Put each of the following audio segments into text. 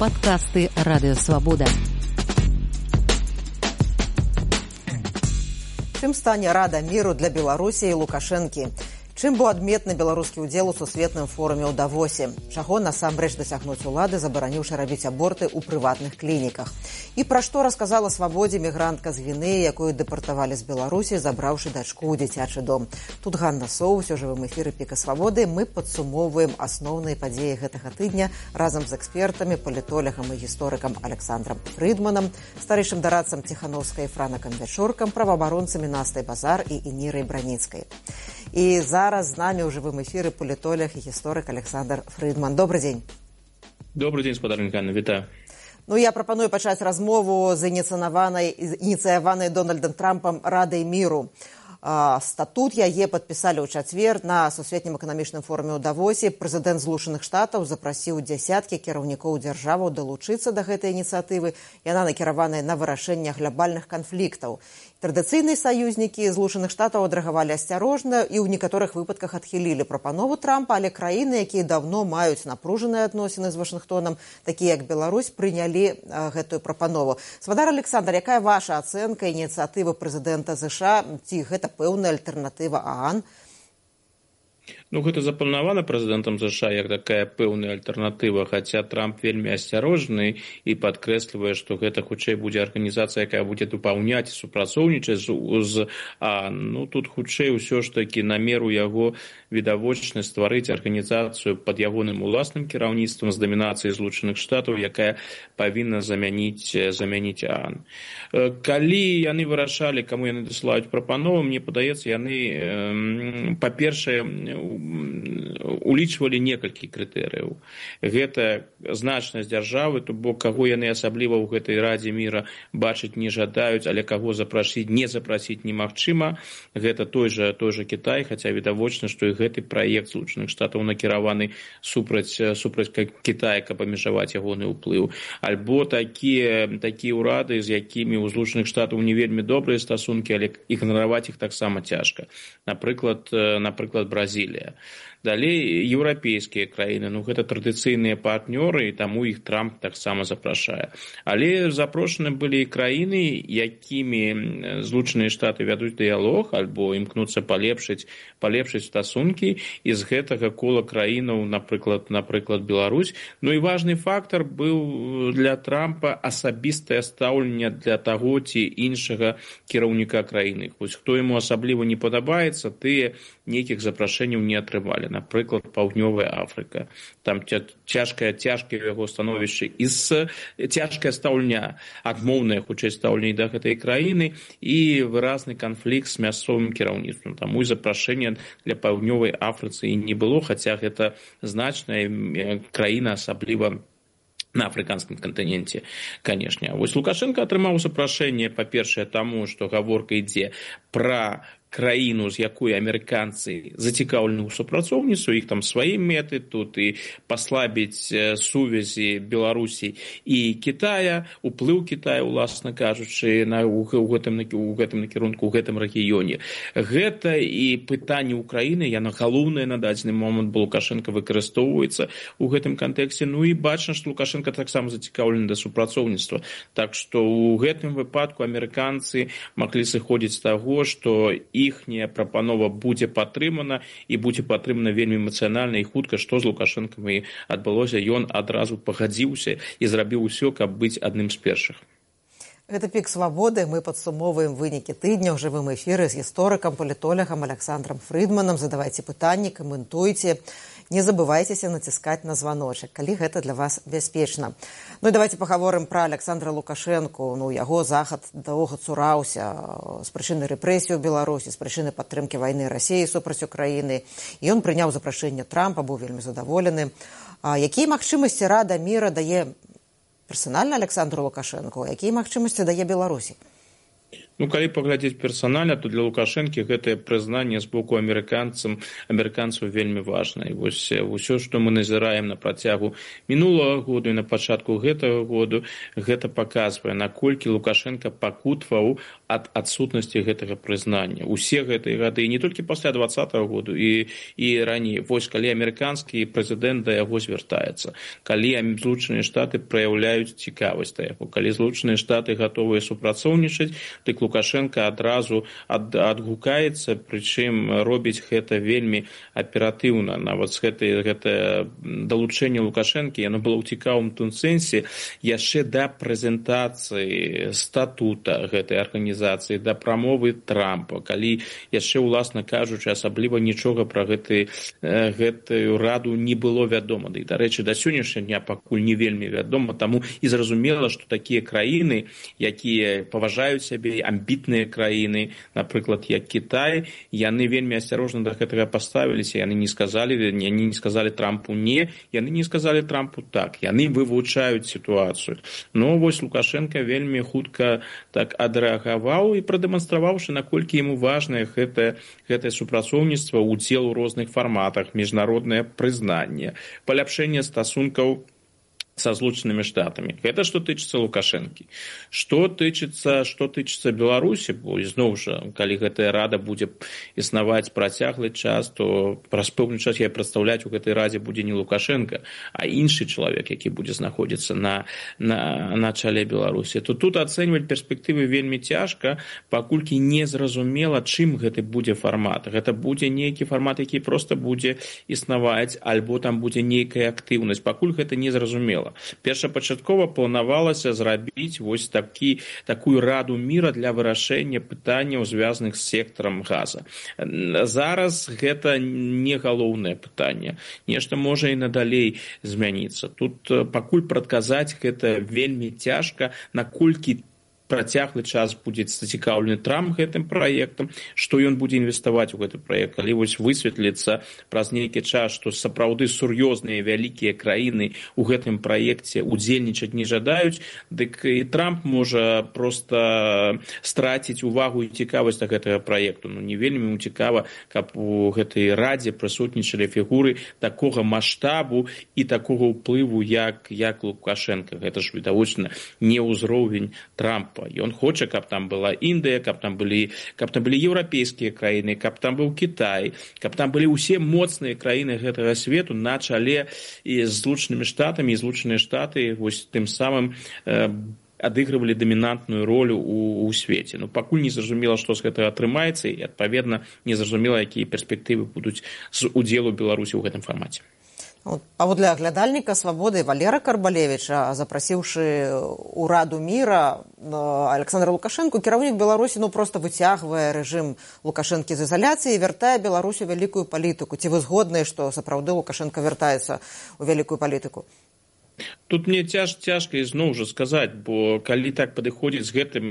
Падкасты Радыёвабода. Чым стане Рада міру для Беларусі і Лукашэнкі? Чым быў адметны беларускі ўдзел у сусветным форуме ў Давосе? Чаго насамрэч дасягнуць улады, забараніўшы рабіць аборты ў прыватных клініках? І пра што расказала Свабодзе мігрантка з Гвінеі, якую дэпартавалі з Беларусі, забраўшы дачку ў дзіцячы дом. Тут Ганна Соус, у жывым эфіры Піка Свабоды. Мы падсумоўваем асноўныя падзеі гэтага тыдня разам з экспертамі, палітолагам і гісторыкам Александром Фрыдманам, старэйшым дарадцам Ціхановскай Франакам Вячоркам, праваабаронцамі Настай Базар і Інірай Браніцкай. І зараз з намі ў жывым эфіры палітолог і гісторык Александр Фрыдман. Добрый дзень. Добрый дзень, спадарня Ганна, вітаю. Я прапаную пачаць размову з ініцыяванай Дональдам Трампам Радай міру. Статут яе падпісалі ў чацвер на сусветнім эканамічным форуме ў Давосе. Прэзідэнт Злучаных Штатаў запрасіў дзясяткі кіраўнікоў дзяржаваў далучыцца да гэтай ініцыятывы. Яна накіраваная на вырашэнне глобальных канфліктаў. Традыцыйныя саюзнікі Злучаных Штатаў адрэагавалі асцярожна і ў некаторых выпадках адхілілі прапанову Трампа, але краіны, якія даўно маюць напружаныя адносіны з Вашынгтонам, такія як Беларусь, прынялі гэтую прапанову. Свадар Александр, якая ваша ацэнка ініцыятывы прэзідэнта ЗША? Ці гэта пэўная альтэрнатыва ААН? Гэта запланавана прэзідэнтам ЗША як такая пэўная альтэрнатыва, хаця Трамп вельмі асцярожны і падкрэслівае, што гэта хутчэй будзе арганізацыя, якая будзе дапаўняць і супрацоўнічаць з ААН. Тут хутчэй усё ж такі намер у яго відавочна стварыць арганізацыю пад ягоным уласным кіраўніцтвам з дамінацыяй Злучаных Штатаў, якая павінна замяніць ААН. Калі яны вырашалі, каму яны дасылаюць прапанову, мне падаецца, яны, па-першае, улічвалі некалькі крытэрыяў. Гэта значнасць дзяржавы, то бок каго яны асабліва ў гэтай Радзе міра бачыць не жадаюць, але каго не запрасіць немагчыма. Гэта той жа Кітай, хаця відавочна, што і гэты праект Злучаных Штатаў накіраваны супраць Кітая, каб абмежаваць ягоны ўплыў. Альбо такія ўрады, з якімі ў Злучаных Штатаў не вельмі добрыя стасункі, але ігнараваць іх таксама цяжка. Напрыклад, Бразілія. Далей еўрапейскія краіны, гэта традыцыйныя партнёры, і таму іх Трамп таксама запрашае. Але запрошаны былі і краіны, якімі Злучаныя Штаты вядуць дыялог альбо імкнуцца палепшыць стасункі, і з гэтага кола краінаў, напрыклад, Беларусь. І важны фактар быў для Трампа асабістае стаўленне для таго ці іншага кіраўніка краіны. Хоць хто яму асабліва не падабаецца, тыя нейкіх запрашэнняў не атрымалі. Напрыклад, Паўднёвая Афрыка. Там цяжкае яго становішча і цяжкае стаўленне, адмоўнае хутчэй стаўленне да гэтай краіны і выразны канфлікт з мясцовым кіраўніцтвам. Таму і запрашэння для Паўднёвай Афрыцы не было, хаця гэта значная краіна, асабліва на афрыканскім кантыненце, канешне. Вось Лукашенко атрымаў запрашэнне, па-першае, таму, што гаворка ідзе пра краіну, з якой амерыканцы зацікаўлены ў супрацоўніцтве, іх там свае мэты, тут і паслабіць сувязі Беларусі і Кітая, уплыў Кітая, уласна кажучы, у гэтым накірунку, у гэтым рэгіёне. Гэта і пытанне ўкраіны, яно галоўнае на дадзены момант, бо Лукашенко выкарыстоўваецца ў гэтым кантэксце. І бачна, што Лукашенко таксама зацікаўлены да супрацоўніцтва. Так што ў гэтым выпадку амерыканцы маглі сыходзіць з таго, што іхняя прапанова будзе падтрымана і будзе падтрымана вельмі эмацыянальна і хутка, што з Лукашэнкам і адбылося. Ён адразу пагадзіўся і зрабіў усё, каб быць адным з першых. Гэта Пік Свабоды. Мы падсумоўваем вынікі тыдня ў жывым эфіры з гісторыкам, палітолагам Александром Фрыдманам. Задавайце пытанні, каментуйце. Не забывайцеся націскаць на званочак, калі гэта для вас бяспечна. І давайте пагаворым пра Александра Лукашэнку. Яго захад доўга цураўся з прычыны рэпрэсій у Беларусі, з прычыны падтрымкі вайны Расіі супраць Украіны. І ён прыняў запрашэнне Трампа, быў вельмі задаволены. Якія магчымасці Рада міра дае персанальна Александру Лукашэнку, якія магчымасці дае Беларусі? Ну, калі паглядзець персанальна, то для Лукашэнкі гэтае прызнанне з боку амерыканцаў вельмі важна. І вось усё, што мы назіраем на працягу мінулага году і на пачатку гэтага году, гэта паказвае, наколькі Лукашенко пакутваў ад адсутнасці гэтага прызнання. Усе гэтыя гады, не толькі пасля 2020 году і раней. Вось калі амерыканскі прэзідэнт да яго звяртаецца, калі Злучаныя Штаты праяўляюць цікавасць да яго, калі Злучаныя Штаты гатовыя супрацоўнічаць, дык Лукашенко адразу адгукаецца, прычым робіць гэта вельмі аператыўна. Нават гэта далучэнне Лукашэнкі, яно было ў цікавым тым сэнсе яшчэ да прэзентацыі статута гэтай арганізацыі, да прамовы Трампа, калі яшчэ, уласна кажучы, асабліва нічога пра гэтую раду не было вядома. Да і, дарэчы, да сённяшняга дня пакуль не вельмі вядома, таму і зразумела, што такія краіны, якія паважаюць сябе, амбітныя краіны, напрыклад, як Кітай, яны вельмі асцярожна да гэтага паставіліся, яны не сказалі Трампу не, яны не сказалі Трампу так, яны вывучаюць сітуацыю. Но вось Лукашенко вельмі хутка так адрэагаваў і прадэманстраваўшы, наколькі яму важнае гэтае супрацоўніцтва, удзел у розных фарматах, міжнароднае прызнанне, паляпшэнне стасункаў со Злучанымі Штатамі. Гэта што тычыцца Лукашэнкі. Што тычыцца Беларусі, бо зноў жа, калі гэтая рада будзе існаваць працяглы час, то праз пэўны час я прадстаўляць у гэтай радзе будзе не Лукашенко, а іншы чалавек, які будзе знаходзіцца на чале Беларусі. То тут ацэньваць перспектывы вельмі цяжка, паколькі не зразумела, чым гэты будзе фармат. Гэта будзе нейкі фармат, які проста будзе існаваць, альбо там будзе нейкая актыўнасць. Пакуль гэта не зразумела. Першапачаткова планавалася зрабіць вось такую раду міра для вырашэння пытанняў, звязаных з сектарам газа. Зараз гэта не галоўнае пытанне. Нешта можа і надалей змяніцца. Тут пакуль прадказаць гэта вельмі цяжка, наколькі працяглы час будзе зацікаўлены Трамп гэтым праектам, што ён будзе інвеставаць у гэты праект. Калі вось высветліцца праз нейкі час, што сапраўды сур'ёзныя вялікія краіны ў гэтым праекце удзельнічаць не жадаюць, дык і Трамп можа проста страціць увагу і цікавасць да гэтага праекту. Ну, не вельмі цікава, каб у гэтай радзе прысутнічалі фігуры такога маштабу і такога ўплыву, як Лукашенко. Гэта ж відавочна не ўзровень Трампа. Ён хоча, каб там была Індыя, каб там былі еўрапейскія краіны, каб там быў Кітай, каб там былі ўсе моцныя краіны гэтага свету на чале і з Злучанымі Штатамі, і Злучаныя Штаты вось тым самым адыгрывалі дамінантную ролю ў свеце. Ну, пакуль не зразумела, што з гэтага атрымаецца, і, адпаведна, не зразумела, якія перспектывы будуць з удзелу Беларусі ў гэтым фармаце. Паводле аглядальніка «Свабоды» Валера Карбалевіча, запрасіўшы ў Раду міра Александра Лукашэнку, кіраўнік Беларусі проста выцягвае рэжым Лукашэнкі з ізаляцыі і вяртае Беларусі вялікую палітыку. Ці вы згодныя, што сапраўды Лукашэнка вяртаецца ў вялікую палітыку? Тут мне цяжка ізноў жа сказаць, бо калі так падыходзіць з гэтым,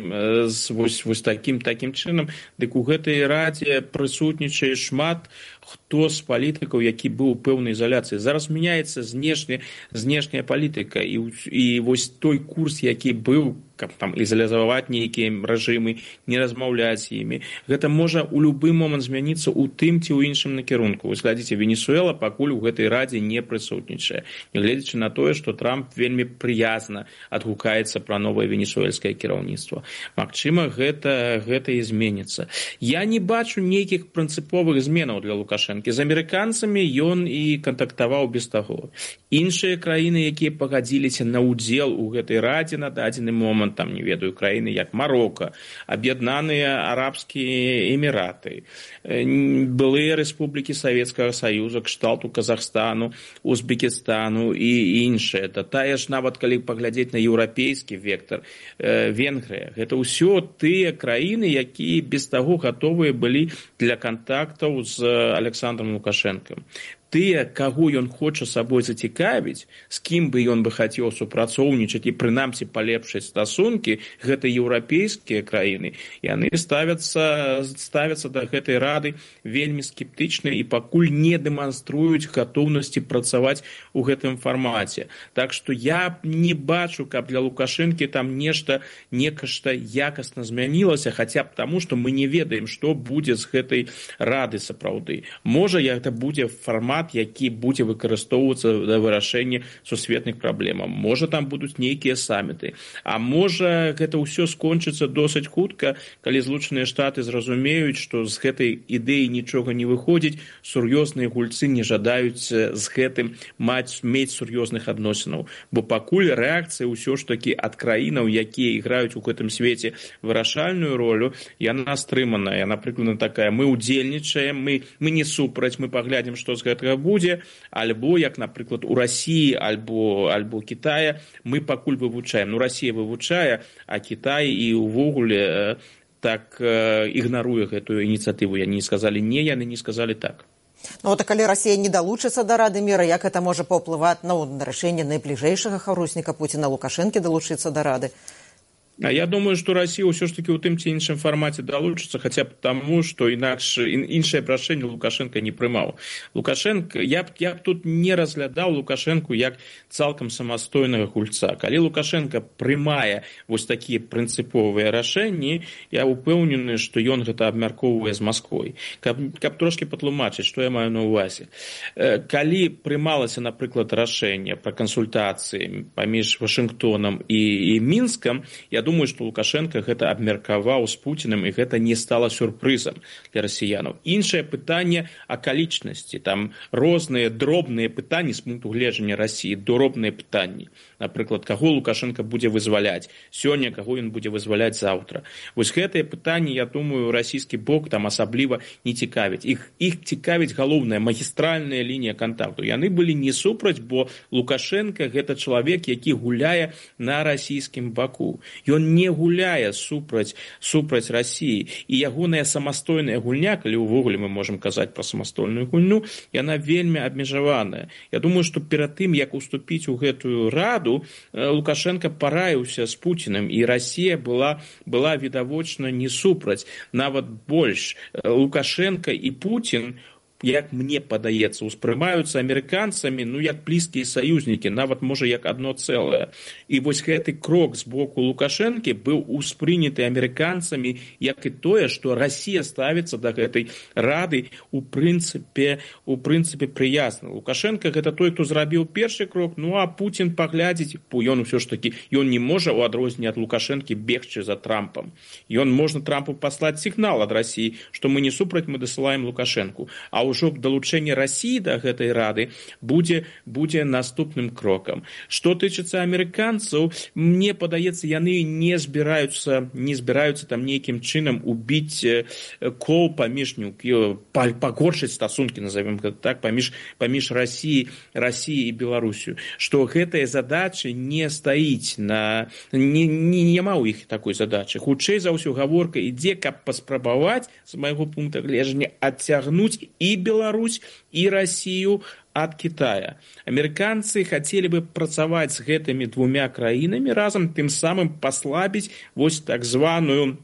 вось такім чынам, дык у гэтай радзе прысутнічае шмат хто з палітыкаў, які быў у пэўнай ізаляцыі. Зараз мяняецца знешняя палітыка, і вось той курс, які быў, каб там ізалізаваць нейкія рэжымы, не размаўляць з імі, гэта можа ў любы момант змяніцца ў тым ці ў іншым накірунку. Вось глядзіце, Венесуэла пакуль у гэтай радзе не прысутнічае, нягледзячы на тое, што Трамп вельмі прыязна адгукаецца пра новае венесуэльскае кіраўніцтва. Магчыма, гэта і зменіцца. Я не бачу нейкіх прынцыповых зменаў для Лукашэнкі. З амерыканцамі ён і кантактаваў без таго. Іншыя краіны, якія пагадзіліся на ўдзел у гэтай радзе на дадзены момант, там, не ведаю, краіны як Марока, Аб'яднаныя Арабскія Эміраты, былыя рэспублікі Савецкага Саюза, кшталту Казахстану, Узбекістану і іншыя. Тая ж нават калі паглядзець на еўрапейскі вектар, Венгрыя. Гэта ўсё тыя краіны, якія без таго гатовыя былі для кантактаў з Александром Лукашэнкам. тыя, каго ён хоча сабой зацікавіць, з кім бы ён бы хацеў супрацоўнічаць і прынамсі палепшыць стасункі, гэта еўрапейскія краіны, яны ставяцца да гэтай рады вельмі скептычна і пакуль не дэманструюць гатоўнасці працаваць у гэтым фармаце. Так што я не бачу, каб для Лукашэнкі там нешта якасна змянілася, хаця б таму, што мы не ведаем, што будзе з гэтай рады сапраўды. Можа, гэта будзе фармат, які будзе выкарыстоўвацца для вырашэння сусветных праблемаў. Можа, там будуць нейкія саміты. А можа, гэта ўсё скончыцца досыць хутка, калі Злучаныя Штаты зразумеюць, што з гэтай ідэі нічога не выходзіць, сур'ёзныя гульцы не жадаюць з гэтым мець сур'ёзных адносінаў. Бо пакуль рэакцыя ўсё ж такі ад краінаў, якія іграюць у гэтым свеце вырашальную ролю, яна стрыманая. Яна прыкладна такая: мы ўдзельнічаем, мы не супраць, мы паглядзім, што з гэтага будзе, альбо, як, напрыклад, у Расіі альбо Кітая, мы пакуль вывучаем. Расія вывучае, а Кітай і ўвогуле так ігнаруе гэтую ініцыятыву. Яны не сказалі не, яны не сказалі так. Ну, а калі Расія не далучыцца да Рады міра, як гэта можа паўплываць на рашэнне найбліжэйшага хаўрусніка Пуціна Лукашэнкі далучыцца да Рады? А я думаю, што Расія ўсё ж такі ў тым ці іншым фармаце далучыцца, хаця б таму, што іншае прашэнне Лукашенка не прымаў. Лукашенко, я б тут не разглядаў Лукашенку як цалкам самастойнага гульца. Калі Лукашенко прымае вось такія прынцыповыя рашэнні, я ўпэўнены, што ён гэта абмяркоўвае з Масквой. Каб трошкі патлумачыць, што я маю на ўвазе. Калі прымалася, напрыклад, рашэнне пра кансультацыі паміж Вашынгтонам і Мінскам, я думаю, што Лукашенко гэта абмеркаваў з Пуціным, і гэта не стала сюрпрызам для расіянаў. Іншае пытанне акалічнасці. Там розныя дробныя пытанні з пункту гледжання Расіі, дробныя пытанні. Напрыклад, каго Лукашенко будзе вызваляць сёння, каго ён будзе вызваляць заўтра. Вось гэтыя пытанні, я думаю, расійскі бок там асабліва не цікавіць. Іх цікавіць галоўная магістральная лінія кантакту. Яны былі не супраць, бо Лукашенко гэта чалавек, які гуляе на расійскім баку. Ён не гуляе супраць Расіі, і ягоная самастойная гульня, калі ўвогуле мы можам казаць пра самастойную гульню, яна вельмі абмежаваная. Я думаю, што перад тым, як уступіць у гэтую раду, Лукашенко параіўся з Пуціным, і Расія была відавочна не супраць. Нават больш, Лукашенко і Путін, як мне падаецца, успрымаюцца амерыканцамі, як блізкія саюзнікі, нават, можа, як адно цэлае. І вось гэты крок з боку Лукашэнкі быў успрыняты амерыканцамі, як і тое, што Расія ставіцца да гэтай рады у прынцыпе прыязна. Лукашенко гэта той, хто зрабіў першы крок, а Путін паглядзіць, ён усё ж такі, ён не можа у адрозненне ад Лукашэнкі бегчы за Трампам. Ён можна Трампу паслаць сігнал ад Расіі, што мы не супраць, мы дасылаем Лукашэнку. А ўжо далучэнне Расіі да гэтай рады будзе наступным крокам. Што тычыцца амерыканцаў, мне падаецца, яны не збіраюцца там нейкім чынам убіць кол паміж, пагоршыць стасункі, назовем гэта так, паміж Расіі і Беларусію. Што гэтая задача не стаіць няма ў іх такой задачы. Хутчэй за ўсё гаворка ідзе, каб паспрабаваць, з майго пункта гледжання, адцягнуць і Беларусь і Расію ад Китая. Амерыканцы хацелі бы працаваць з гэтымі двумя краінамі разам, тым самым паслабіць вось так званую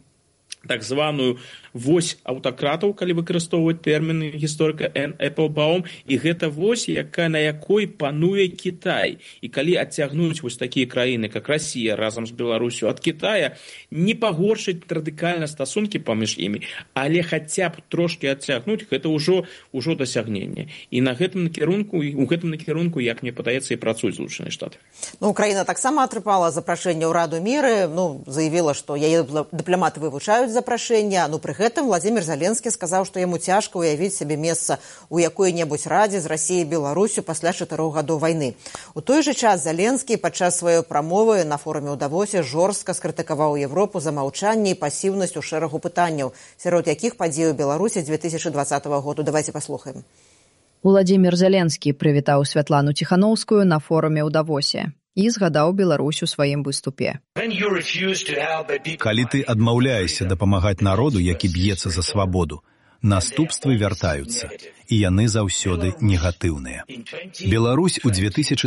вось аўтакратаў, калі выкарыстоўваць тэрміны гісторыка Энн Эпплбаум, і гэта вось, на якой пануе Кітай. І калі адцягнуць вось такія краіны, як Расія разам з Беларусю ад Китая, не пагоршыць радыкальна стасункі паміж імі, але хаця б трошкі адцягнуць, гэта ўжо дасягненне. І у гэтым накірунку, як мне падаецца, і працуюць Злучаныя Штаты. Украіна таксама атрымала запрашэнне ў Раду міры, заявіла, што яе дыпламаты вывучаюць запрашэння. Пры гэтым Владзімір Зеленскі сказаў, што яму цяжка ўявіць сабе месца ў якой-небудзь радзе з Расіяй і Беларусю пасля 4 гадоў вайны. У той жа час Зеленскі падчас сваёй прамовы на форуме ў Давосе жорстка скрытыкаваў Европу за маўчанне і пасіўнасць у шэрагу пытанняў, сярод якіх падзеі ў Беларусі 2020 году. Давайте паслухаем. Владзімір Зеленскі прывітаў Святлану Ціханаўскую на форуме ў Давосе і згадаў Беларусь у сваім выступе. Калі ты адмаўляешся дапамагаць народу, які б'ецца за свабоду, Наступствы вяртаюцца, і яны заўсёды негатыўныя. Беларусь у 2020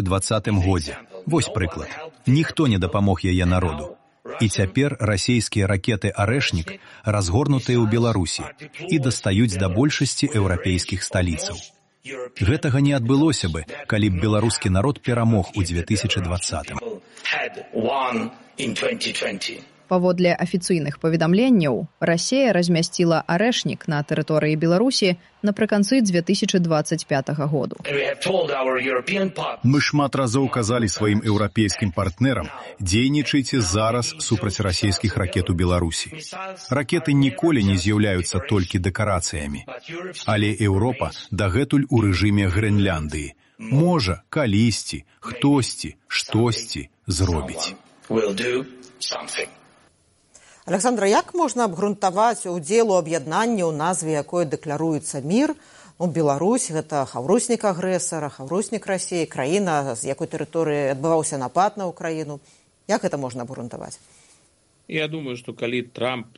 годзе. Вось прыклад. Ніхто не дапамог яе народу. І цяпер расійскія ракеты «Арэшнік» разгорнутыя ў Беларусі і дастаюць да большасці еўрапейскіх сталіцаў. Гэтага не адбылося бы, калі б беларускі народ перамог у 2020. Паводле афіцыйных паведамленняў, Расія размясціла «Арэшнік» на тэрыторыі Беларусі напрыканцы 2025 году. Мы шмат разоў казалі сваім еўрапейскім партнерам, дзейнічайце зараз супраць расійскіх ракет у Беларусі. Ракеты ніколі не з'яўляюцца толькі дэкарацыямі. Але Еўропа дагэтуль у рэжыме Грэнляндыі. Можа, калісьці, хтосьці, штосьці зробіць. Александра, як можна абгрунтаваць удзел у аб'яднанні, у назве якой дэкларуецца мір? Беларусь – гэта хаўруснік агрэсара, хаўруснік Расіі, краіна, з якой тэрыторыі адбываўся напад на Украіну. Як гэта можна абгрунтаваць? Я думаю, што калі Трамп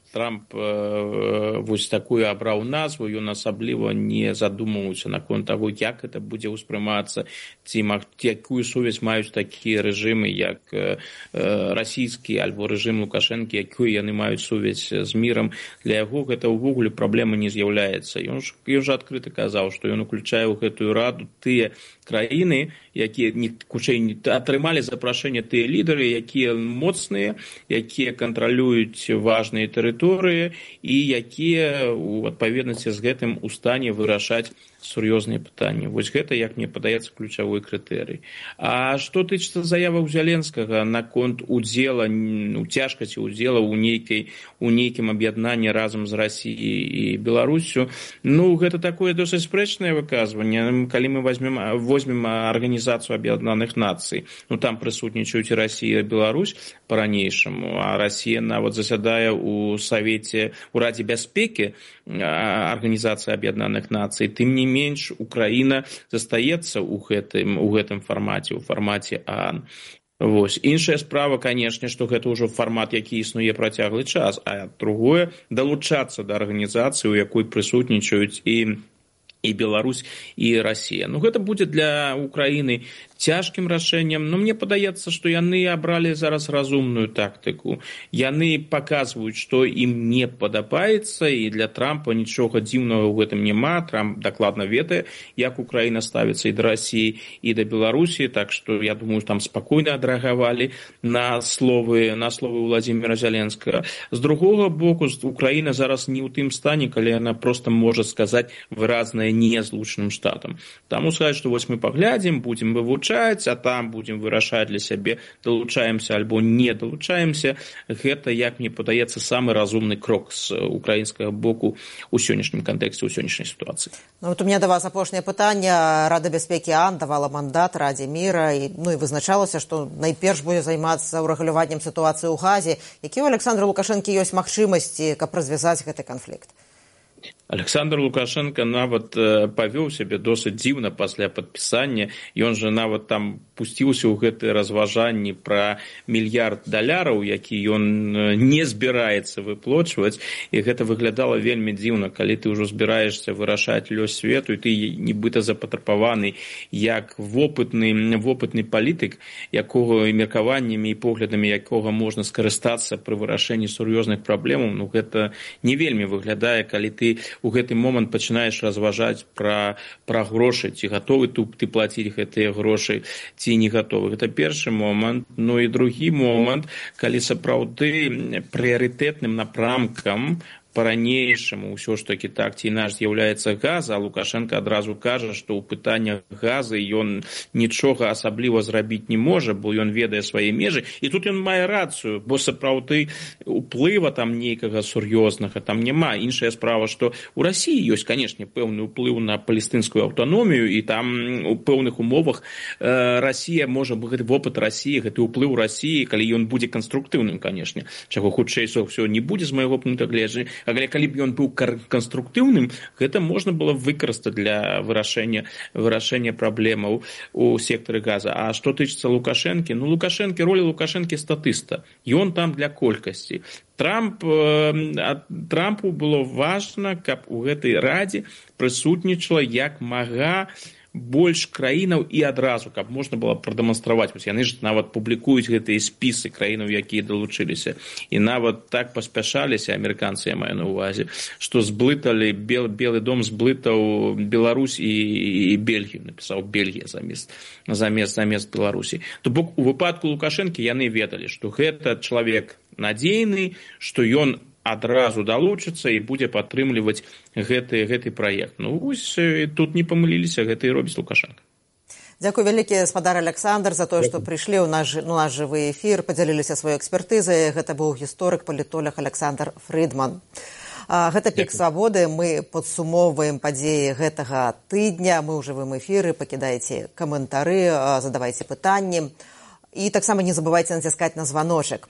вось такую абраў назву, ён асабліва не задумваўся наконт таго, як гэта будзе ўспрымацца, ці якую сувязь маюць такія рэжымы, як расійскі альбо рэжым Лукашэнкі, якую яны маюць сувязь з мірам. Для яго гэта ўвогуле праблема не з'яўляецца. Ён жа адкрыта казаў, што ён уключае ў гэтую раду тыя краіны, якія атрымалі запрашэнне тыя лідары, якія моцныя, якія кантралююць важныя тэрыторыі і якія у адпаведнасці з гэтым у стане вырашаць сур'ёзныя пытанні. Вось гэта, як мне падаецца, ключавой крытэрый. А што тычыцца заяваў Зеленскага наконт удзела, цяжкасці удзела ў нейкім аб'яднанні разам з Расіяй і Беларусю, гэта такое досыць спрэчнае выказванне. Калі мы возьмем Арганізацыю Аб'яднаных Нацый, там прысутнічаюць і Расія, і Беларусь па-ранейшаму, а Расія нават засядае ў Радзе бяспекі Арганізацыі Аб'яднаных Нацый. Тым не менш, Украіна застаецца ў гэтым фармаце, у фармаце ААН. Іншая справа, канешне, што гэта ўжо фармат, які існуе працяглы час, а другое – далучацца да арганізацыі, у якой прысутнічаюць і Беларусь, і Расія. Гэта будзе для Украіны цяжкім рашэннем, но мне падаецца, што яны абралі зараз разумную тактыку. Яны паказваюць, што ім не падабаецца, і для Трампа нічога дзіўнага ў гэтым няма. Трамп дакладна ведае, як Украіна ставіцца і да Расіі, і да Беларусі, так што, я думаю, там спакойна адрэагавалі на словы Владзіміра Зеленскага. З другога боку, Украіна зараз не ў тым стане, калі яна проста можа сказаць выразнае не злучаным штатам. Таму сказаць, што вось мы паглядзім, будзем вывучаць, а там будзем вырашаць для сябе, далучаемся альбо не далучаемся. Гэта, як мне падаецца, самы разумны крок з украінскага боку ў сённяшнім кантэксце, ў сённяшняй сітуацыі. У меня да вас апошняе пытанне. Рада бяспекі ААН давала мандат Радзе міра і вызначалася, што найперш будзе займацца ўрэгуляваннем сітуацыі ў Газе. Які ў Александра Лукашэнкі ёсць магчымасці, каб развязаць гэты канфлікт? Александр Лукашенко нават павёў сябе досыць дзіўна пасля падпісання. Ён жа нават там пусціўся ў гэтыя разважанні пра $1 мільярд, які ён не збіраецца выплочваць. І гэта выглядала вельмі дзіўна, калі ты ўжо збіраешся вырашаць лёс свету, і ты нібыта запатрабаваны як вопытны палітык, якога меркаваннямі і поглядамі якога можна скарыстацца пры вырашэнні сур'ёзных праблемаў. Гэта не вельмі выглядае, калі ты у гэты момант пачынаеш разважаць пра грошы, ці гатовы ты плаціць гэтыя грошы, ці не гатовы. Гэта першы момант. І другі момант, калі сапраўды прыярытэтным напрамкам па-ранейшаму ўсё ж такі так ці інакш з'яўляецца газ, а Лукашенко адразу кажа, што ў пытаннях газы ён нічога асабліва зрабіць не можа, бо ён ведае свае межы. І тут ён мае рацыю, бо сапраўды уплыва там нейкага сур'ёзнага там няма. Іншая справа, што ў Расіі ёсць, канешне, пэўны ўплыў на палестынскую аўтаномію, і там у пэўных умовах Расія можа гэты вопыт Расіі, гэты ўплыў Расіі, калі ён будзе канструктыўным, канешне, чаго хутчэй ўсё не будзе з майго пункта гледжання, але калі б ён быў канструктыўным, гэта можна было выкарыстаць для вырашэння праблемаў у сектары газа. А што тычыцца Лукашэнкі, роля Лукашэнкі статыста. Ён там для колькасці. Трампу было важна, каб у гэтай радзе прысутнічала як мага больш краінаў і адразу, каб можна было прадэманстраваць. Яны ж нават публікуюць гэтыя спісы краінаў, якія далучыліся. І нават так паспяшаліся, амерыканцы, я маю на ўвазе, што зблыталі, Белы дом зблытаў Беларусь і Бельгію, напісаў Бельгія замест Беларусі. То бок у выпадку Лукашэнкі яны ведалі, што гэта чалавек надзейны, што ён адразу далучыцца і будзе падтрымліваць гэты праект. Тут не памыліліся, гэта і робіць Лукашенко. Дзякуй вялікі, спадар Александр, за тое, што прыйшлі ў наш жывы эфір, падзяліліся сваёй экспертызай. Гэта быў гісторык, палітолог Александр Фрыдман. Гэта «Пік свабоды». Мы падсумоўваем падзеі гэтага тыдня. Мы ў жывым эфіры. Пакідайце каментары, задавайце пытанні. І таксама не забывайце націскаць на званочак.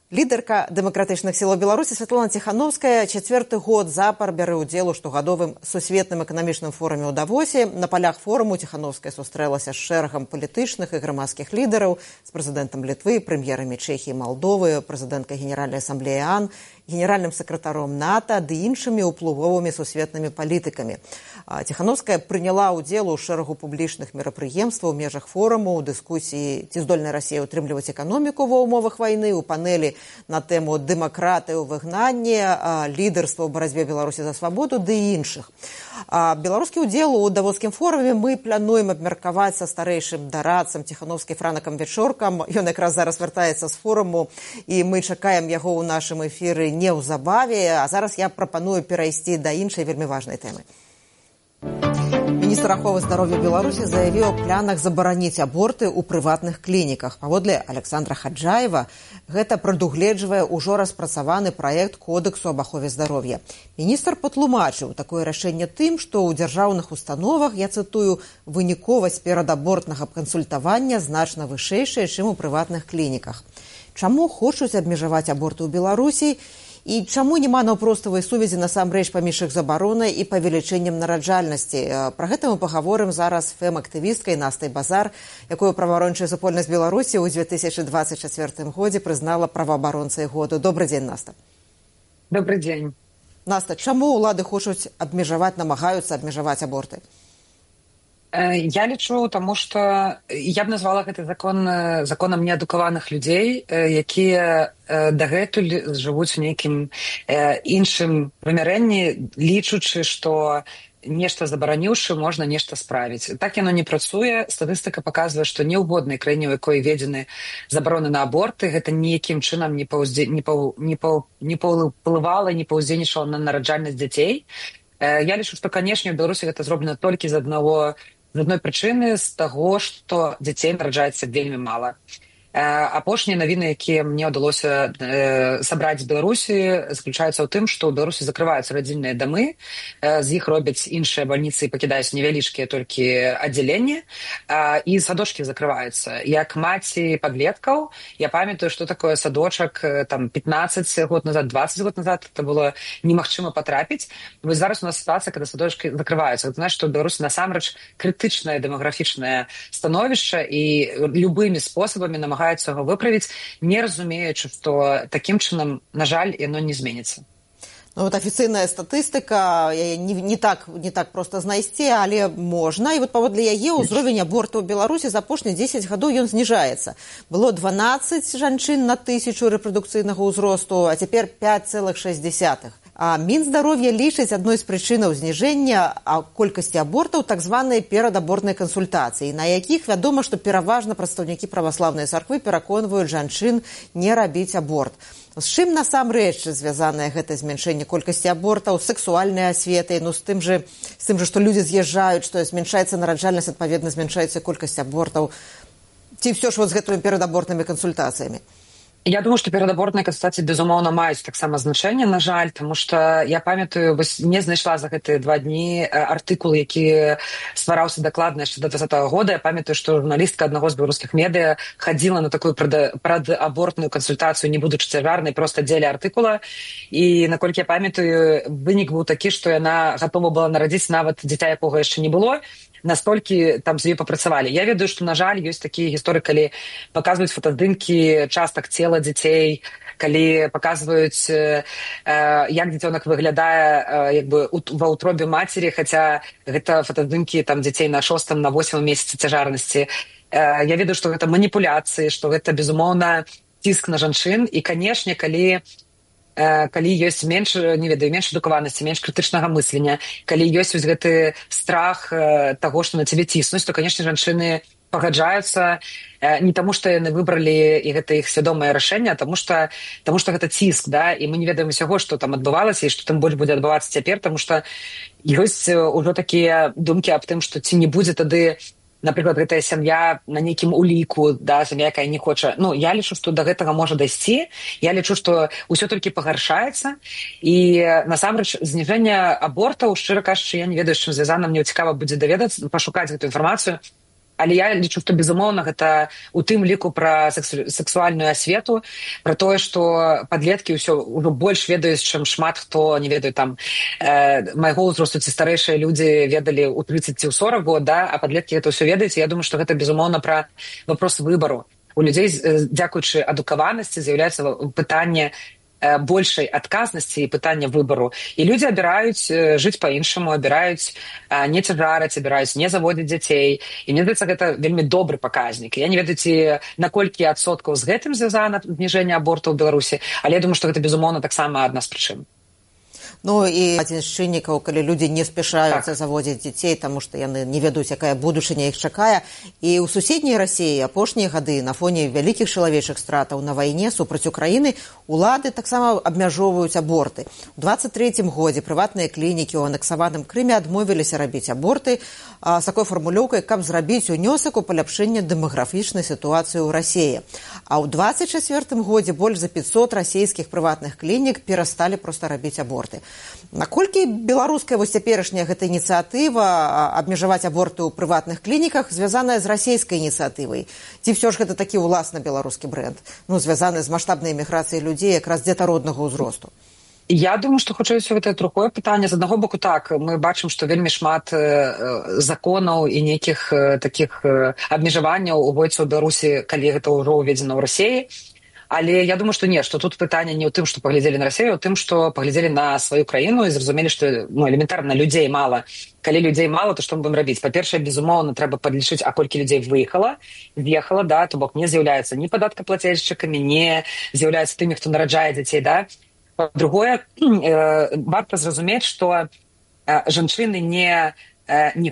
Лідарка дэмакратычных сілаў Беларусі Святлана Ціхановская 4-й год запар бярэ ўдзел у штогадовым сусветным эканамічным форуме ў Давосе. На палях форуму Ціхановская сустрэлася з шэрагам палітычных і грамадскіх лідараў, з прэзідэнтам Літвы, прэм'ерамі Чэхіі і Малдовы, прэзідэнткай Генеральнай асамблеі ААН, генеральным сакратаром НАТО ды іншымі ўплывовымі сусветнымі палітыкамі. Ціхановская прыняла ўдзел у шэрагу публічных мерапрыемстваў у межах форуму, у дыскусіі, ці здольная Расія ўтрымліваць эканоміку ва ўмовах вайны, у панелі на тэму дэмакратыі ў выгнанні, лідарства ў барацьбе Беларусі за свабоду ды іншых. Беларускі ўдзел у Давоскім форуме мы плануем абмеркаваць са старэйшым дарадцам Ціхановскай Франакам Вечоркам. Ён якраз зараз вяртаецца з форуму, і мы чакаем яго ў нашым эфіры неўзабаве. А зараз я прапаную перайсці да іншай вельмі важнай тэмы. Міністр аховы здароўя Беларусі заявіў о планах забараніць аборты ў прыватных клініках. Паводле Александра Хаджаева, гэта прадугледжвае ўжо распрацаваны праект Кодексу аб ахове здароўя. Міністр патлумачыў такое рашэнне тым, што ў дзяржаўных установах, я цытую, выніковасць перадабортнага кансультавання значна вышэйшая, чым у прыватных клініках. Чаму хочуць абмежаваць аборты ў Беларусі? І чаму няма наўпроставай сувязі насамрэч паміж іх забаронай і павелічэннем нараджальнасці? Пра гэта мы пагаворым зараз з фэм-актывісткай Настай Базар, якую праваабарончая супольнасць Беларусі ў 2024 годзе прызнала праваабаронцай году. Добрый дзень, Наста. Добрый дзень. Наста, чаму ўлады хочуць намагаюцца абмежаваць аборты? Я лічу, таму што я б назвала гэты законам неадукаваных людзей, якія дагэтуль жывуць у нейкім іншым вымярэнні, лічучы, што нешта забараніўшы, можна нешта справіць. Так яно не працуе. Статыстыка паказвае, што ні ў годнай краіне, у якой введзены забароны на аборты, гэта ніякім чынам не паўплывала, не паўздзейнічала на нараджальнасць дзяцей. Я лічу, што, канешне, у Беларусі гэта зроблена толькі з адной прычыны, з таго, што дзяцей нараджаецца вельмі мала. Апошнія навіны, якія мне ўдалося сабраць з Беларусі, заключаюцца ў тым, што ў Беларусі закрываюцца радзільныя дамы, з іх робяць іншыя бальніцы і пакідаюць невялічкія толькі аддзяленні, і садочкі закрываюцца. Як маці падлеткаў, я памятаю, што такое садочак там 15 год назад, 20 год назад, это было немагчыма потрапіць. Вось зараз у нас сітуацыя, калі садочкі закрываюцца. Гэта значыць, што ў Беларусі насамрэч крытычнае дэмаграфічнае становішча, і любымі спосабамі намагаюцца яго выправіць, не разумеючы, што такім чынам, на жаль, яно не зменіцца. Вот афіцыйная статыстыка, не так проста знайсці, але можна. І вот паводле яе ўзровень абортаў у Беларусі за апошнія 10 гадоў ён зніжаецца. Было 12 жанчын на 1000 рэпрадукцыйнага ўзросту, а цяпер 5,6. А Мінздароўя лічыць адной з прычынаў зніжэння колькасці абортаў так званыя перадабортныя кансультацыі, на якіх вядома, што пераважна прадстаўнікі праваслаўнай царквы пераконваюць жанчын не рабіць аборт. З чым насамрэч звязанае гэта змяншэнне колькасці абортаў, сексуальнай асветай, з тым жа, што людзі з'язджаюць, што змяншаецца нараджальнасць, адпаведна змяншаецца колькасць абортаў, ці ўсё ж з гэтымі перадабортнымі кансультацыямі? Я думаю, што перадабортныя кансультацыі, безумоўна, маюць таксама значэнне, на жаль, таму што я памятаю, не знайшла за гэтыя 2 дні артыкул, які ствараўся дакладна яшчэ да 2020 года. Я памятаю, што журналістка аднаго з беларускіх медыа хадзіла на такую прадабортную кансультацыю, не будучы цяжарнай, проста дзеля артыкула. І, наколькі я памятаю, вынік быў такі, што яна гатова была нарадзіць нават дзіця, якога яшчэ не было, настолькі там з ёй папрацавалі. Я ведаю, што, на жаль, ёсць такія гісторыі, калі паказваюць фотаздымкі частак цела дзяцей, калі паказваюць, як дзіцёнак выглядае як бы ва ўтробе мацері, хаця гэта фотаздымкі там дзяцей на 6-м, на 8-м месяцы цяжарнасці. Я ведаю, што гэта маніпуляцыі, што гэта, безумоўна, ціск на жанчын. І, канешне, калі ёсць менш, не ведаю, менш адукаванасці, менш крытычнага мыслення, калі ёсць вось гэты страх таго, што на цябе ціснуць, то, канешне, жанчыны пагаджаюцца не таму, што яны выбралі, і гэта іх свядомае рашэнне, а таму што гэта ціск, да, і мы не ведаем усяго, што там адбывалася і што там больш будзе адбывацца цяпер, таму што ёсць ужо такія думкі аб тым, што ці не будзе тады, напрыклад, гэтая сям'я на нейкім уліку, да, сям'я, якая не хоча. Ну, я лічу, што да гэтага можа дайсці. Я лічу, што ўсё толькі пагаршаецца. І, насамрэч, зніжэнне абортаў, шчыра кажучы, я не ведаю, з чым звязана, мне цікава будзе даведацца, пашукаць гэту інфармацыю. Але я лічу, што, безумоўна, гэта у тым ліку пра сексуальную асвету, пра тое, што падлеткі ўсё ўжо больш ведаюць, чым шмат хто, не ведаю, там, майго ўзросту ці старэйшыя людзі ведалі ў 30 ці ў 40 год, да, а падлеткі гэта ўсё ведаюць. Я думаю, што гэта, безумоўна, пра вопрос выбару. У людзей, дзякуючы адукаванасці, з'яўляецца пытанне большай адказнасці і пытання выбару. І людзі абіраюць жыць па-іншаму, абіраюць не цяжараць, абіраюць не заводзіць дзяцей. І мне здаецца, гэта вельмі добры паказнік. Я не ведаю, ці на колькі адсоткаў з гэтым звязана зніжэнне абортаў у Беларусі, але я думаю, што гэта, безумоўна, таксама адна з прычын. Ну і адзін з чыннікаў, калі людзі не спяшаюцца заводзіць дзяцей, таму што яны не ведаюць, якая будучыня іх чакае. І ў суседняй Расіі апошнія гады на фоне вялікіх чалавечых стратаў на вайне супраць Украіны улады таксама абмяжоўваюць аборты. У 23-м годзе прыватныя клінікі ў анексаваным Крыме адмовіліся рабіць аборты з такой фармулёўкай, каб зрабіць унёсак у паляпшэнне дэмаграфічнай сітуацыі ў Расіі. А ў 24-м годзе больш за 500 расійскіх прыватных клінік перасталі проста рабіць аборты. Наколькі беларуская вось цяперашняя гэта ініцыятыва абмежаваць аборты ў прыватных клініках звязаная з расійскай ініцыятывай? Ці ўсё ж гэта такі ўласна беларускі брэнд, ну, звязаны з маштабнай эміграцыяй людзей якраз дзетароднага ўзросту? Я думаю, што хутчэй усё гэта другое пытанне. З аднаго боку, так, мы бачым, што вельмі шмат законаў і нейкіх такіх абмежаванняў уводзіцца ў Беларусі, калі гэта ўжо ўведзена ў Расіі. Але я думаю, што не, што тут пытанне не ў тым, што паглядзелі на Расію, а ў тым, што паглядзелі на сваю краіну і зразумелі, што, ну, элементарна людзей мала. Калі людзей мала, то што мы будзем рабіць? Па-першае, безумоўна, трэба падлічыць, а колькі людзей з'ехала, да, то бок не з'яўляецца ні падаткаплацельшчыкамі, не з'яўляецца тымі, хто нараджае дзяцей, да. Па-другое, варта зразумець, што жанчыны не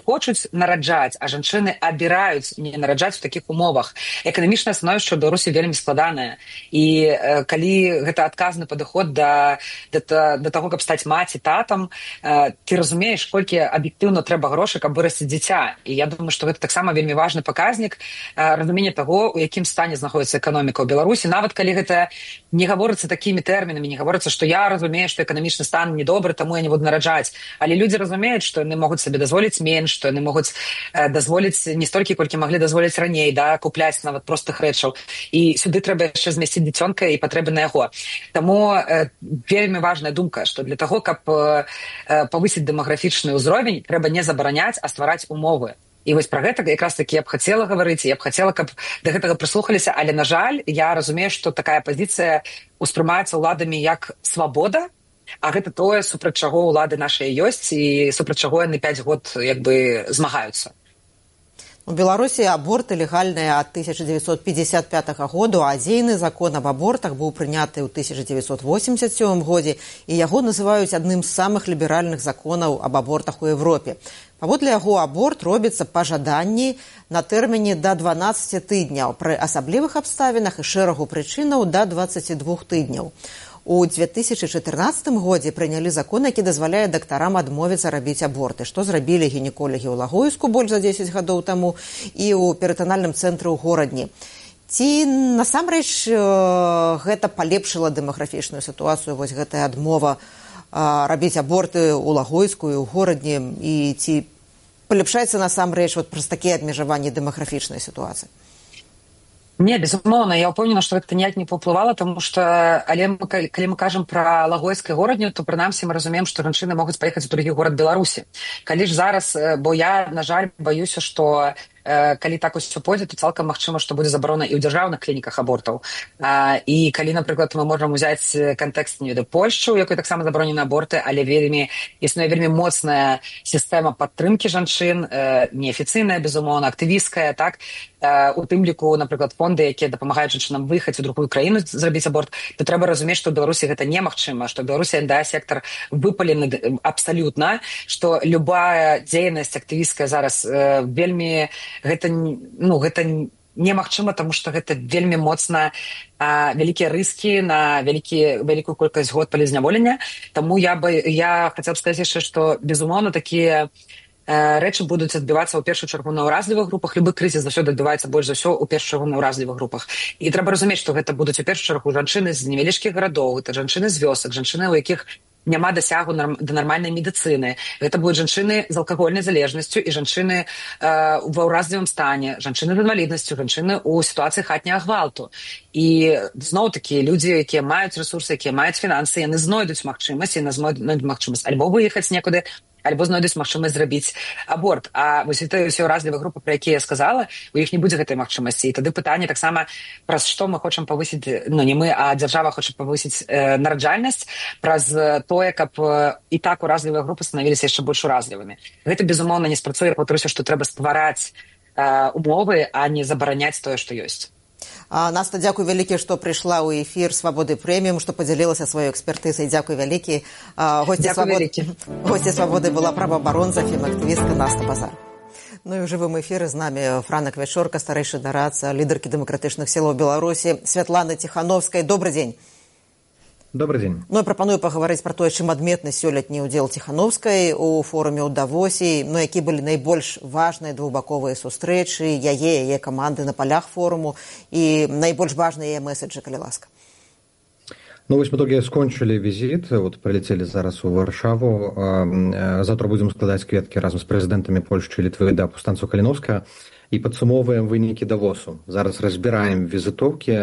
хочуць нараджаць, а жанчыны абіраюць не нараджаць у такіх умовах. Эканамічнае становішча ў Беларусі вельмі складанае. І калі гэта адказны падыход да таго, каб стаць маці, татам, ты разумееш, колькі аб'ектыўна трэба грошай, каб вырасціць дзіця. І я думаю, што гэта таксама вельмі важны паказнік разумення таго, у якім стане знаходзіцца эканоміка ў Беларусі. Нават калі гэта не гаворыцца такімі тэрмінамі, не гаворыцца, што я разумею, што эканамічны стан недобры, таму я не буду нараджаць. Але людзі разумеюць, што яны могуць сабе дазволіць менш, што яны могуць дазволіць не столькі, колькі маглі дазволіць раней, да, купляць нават простых рэчаў. І сюды трэба яшчэ змясціць дзіцёнка і патрэбы на яго. Таму вельмі важная думка, што для таго, каб павысіць дэмаграфічны ўзровень, трэба не забараняць, а ствараць умовы. І вось пра гэта якраз такі я б хацела гаварыць, я б хацела, каб да гэтага прыслухаліся, але, на жаль, я разумею, што такая пазіцыя ўспрымаецца ўладамі як свабода, а гэта тое, супраць чаго ўлады нашыя ёсць і супраць чаго яны 5 год як бы змагаюцца. У Беларусі аборты легальныя ад 1955 году, а дзейны закон аб абортах быў прыняты ў 1987 годзе, і яго называюць адным з самых ліберальных законаў аб абортах у Европе. Паводле яго аборт робіцца па жаданні на тэрміне да 12 тыдняў, пры асаблівых абставінах і шэрагу прычынаў да 22 тыдняў. У 2014 годзе прынялі закон, які дазваляе дактарам адмовіцца рабіць аборты, што зрабілі гінеколагі ў Лагойску больш за 10 гадоў таму і ў перытанальным цэнтры ў горадні. Ці насамрэч гэта палепшыла дэмаграфічную сітуацыю, вось гэтая адмова рабіць аборты ў Лагойску і ў горадні, і ці палепшаецца насамрэч праз такія абмежаванні дэмаграфічнай сітуацыі? Не, безумоўна, я ўпэўнена, што гэта ніяк не паўплывала, таму што, але калі мы кажам пра Лагойск і горадню, то прынамсі мы разумеем, што жанчыны могуць паехаць у другі горад Беларусі. Калі ж зараз, бо я, на жаль, баюся, што калі так усё пойдзе, то цалкам магчыма, што будзе забарона і ў дзяржаўных клініках абортаў. І калі, напрыклад, мы можам узяць кантэкст Польшчы, у якой таксама забаронены аборты, але існуе вельмі моцная сістэма падтрымкі жанчын, неафіцыйная, безумоўна, актывісткая, так, у тым ліку, напрыклад, фонды, якія дапамагаюць жанчынам выехаць у другую краіну зрабіць аборт, то трэба разумець, што ў Беларусі гэта немагчыма, што ў Беларусі НДА-сектар выпалены абсалютна, што любая дзейнасць актывісткая зараз вельмі гэта немагчыма, таму што гэта вельмі моцна вялікія рыскі на вялікую колькасць год палізняволення. Таму я хацела б сказаць яшчэ, што, безумоўна, такія рэчы будуць адбівацца ў першую чаргу на ўразлівых групах. Любы крызіс заўсёды адбываецца больш за ўсё ў першую чаргу на ўразлівых групах. І трэба разумець, што гэта будуць у першую чаргу жанчыны з невялічкіх гарадоў, гэта жанчыны з вёсак, жанчыны, у якіх няма дасягу да нармальнай медыцыны. Гэта будуць жанчыны з алкагольнай залежнасцю і жанчыны ва ўразлівым стане, жанчыны з інваліднасцю, жанчыны ў сітуацыі хатняга гвалту. І зноў-такі людзі, якія маюць рэсурсы, якія маюць фінансы, яны знойдуць магчымасць, альбо выехаць некуды, альбо знойдуць магчымасць зрабіць аборт. А вось гэта ўсе ўразлівыя групы, пра якія я сказала, у іх не будзе гэтай магчымасці. І тады пытанне таксама, праз што мы хочам павысіць, не мы, а дзяржава хоча павысіць нараджальнасць, праз тое, каб і так уразлівыя групы станавіліся яшчэ больш уразлівымі. Гэта, безумоўна, не спрацуе, паўтаруся, што трэба ствараць умовы, а не забараняць тое, што ёсць. Наста, дзякуй вялікі, што прыйшла ў эфір Свабоды Прэміум, што падзялілася сваёй экспертызай. Дзякуй вялікі. Госці Свабоды была праваабаронца, фемактывістка Наста Базар. Ну і ў жывым эфіры з намі Франак Вячорка, старэйшы дарадца, лідаркі дэмакратычных сілаў Беларусі, Святланы Ціхановскай. Добры дзень. Добрый день. Ну, я прапаную паговорыць пра тое, чым адметны сёлетні ўдзел Ціхановскай у форуме ў Давосе, ну, які былі найбольш важныя двухбаковыя сустрэчы, яе каманды на палях форуму і найбольш важныя яе меседжы, калі ласка. Ну, вось мы толькі скончылі візіт, прилетели зараз у Варшаву. Завтра будзем складаць кветкі разам з прэзідэнтамі Польшчы і Літвы да паўстанцаў Каліновскага і падсумоўваем вынікі Давосу. Зараз разбіраем візітоўкі,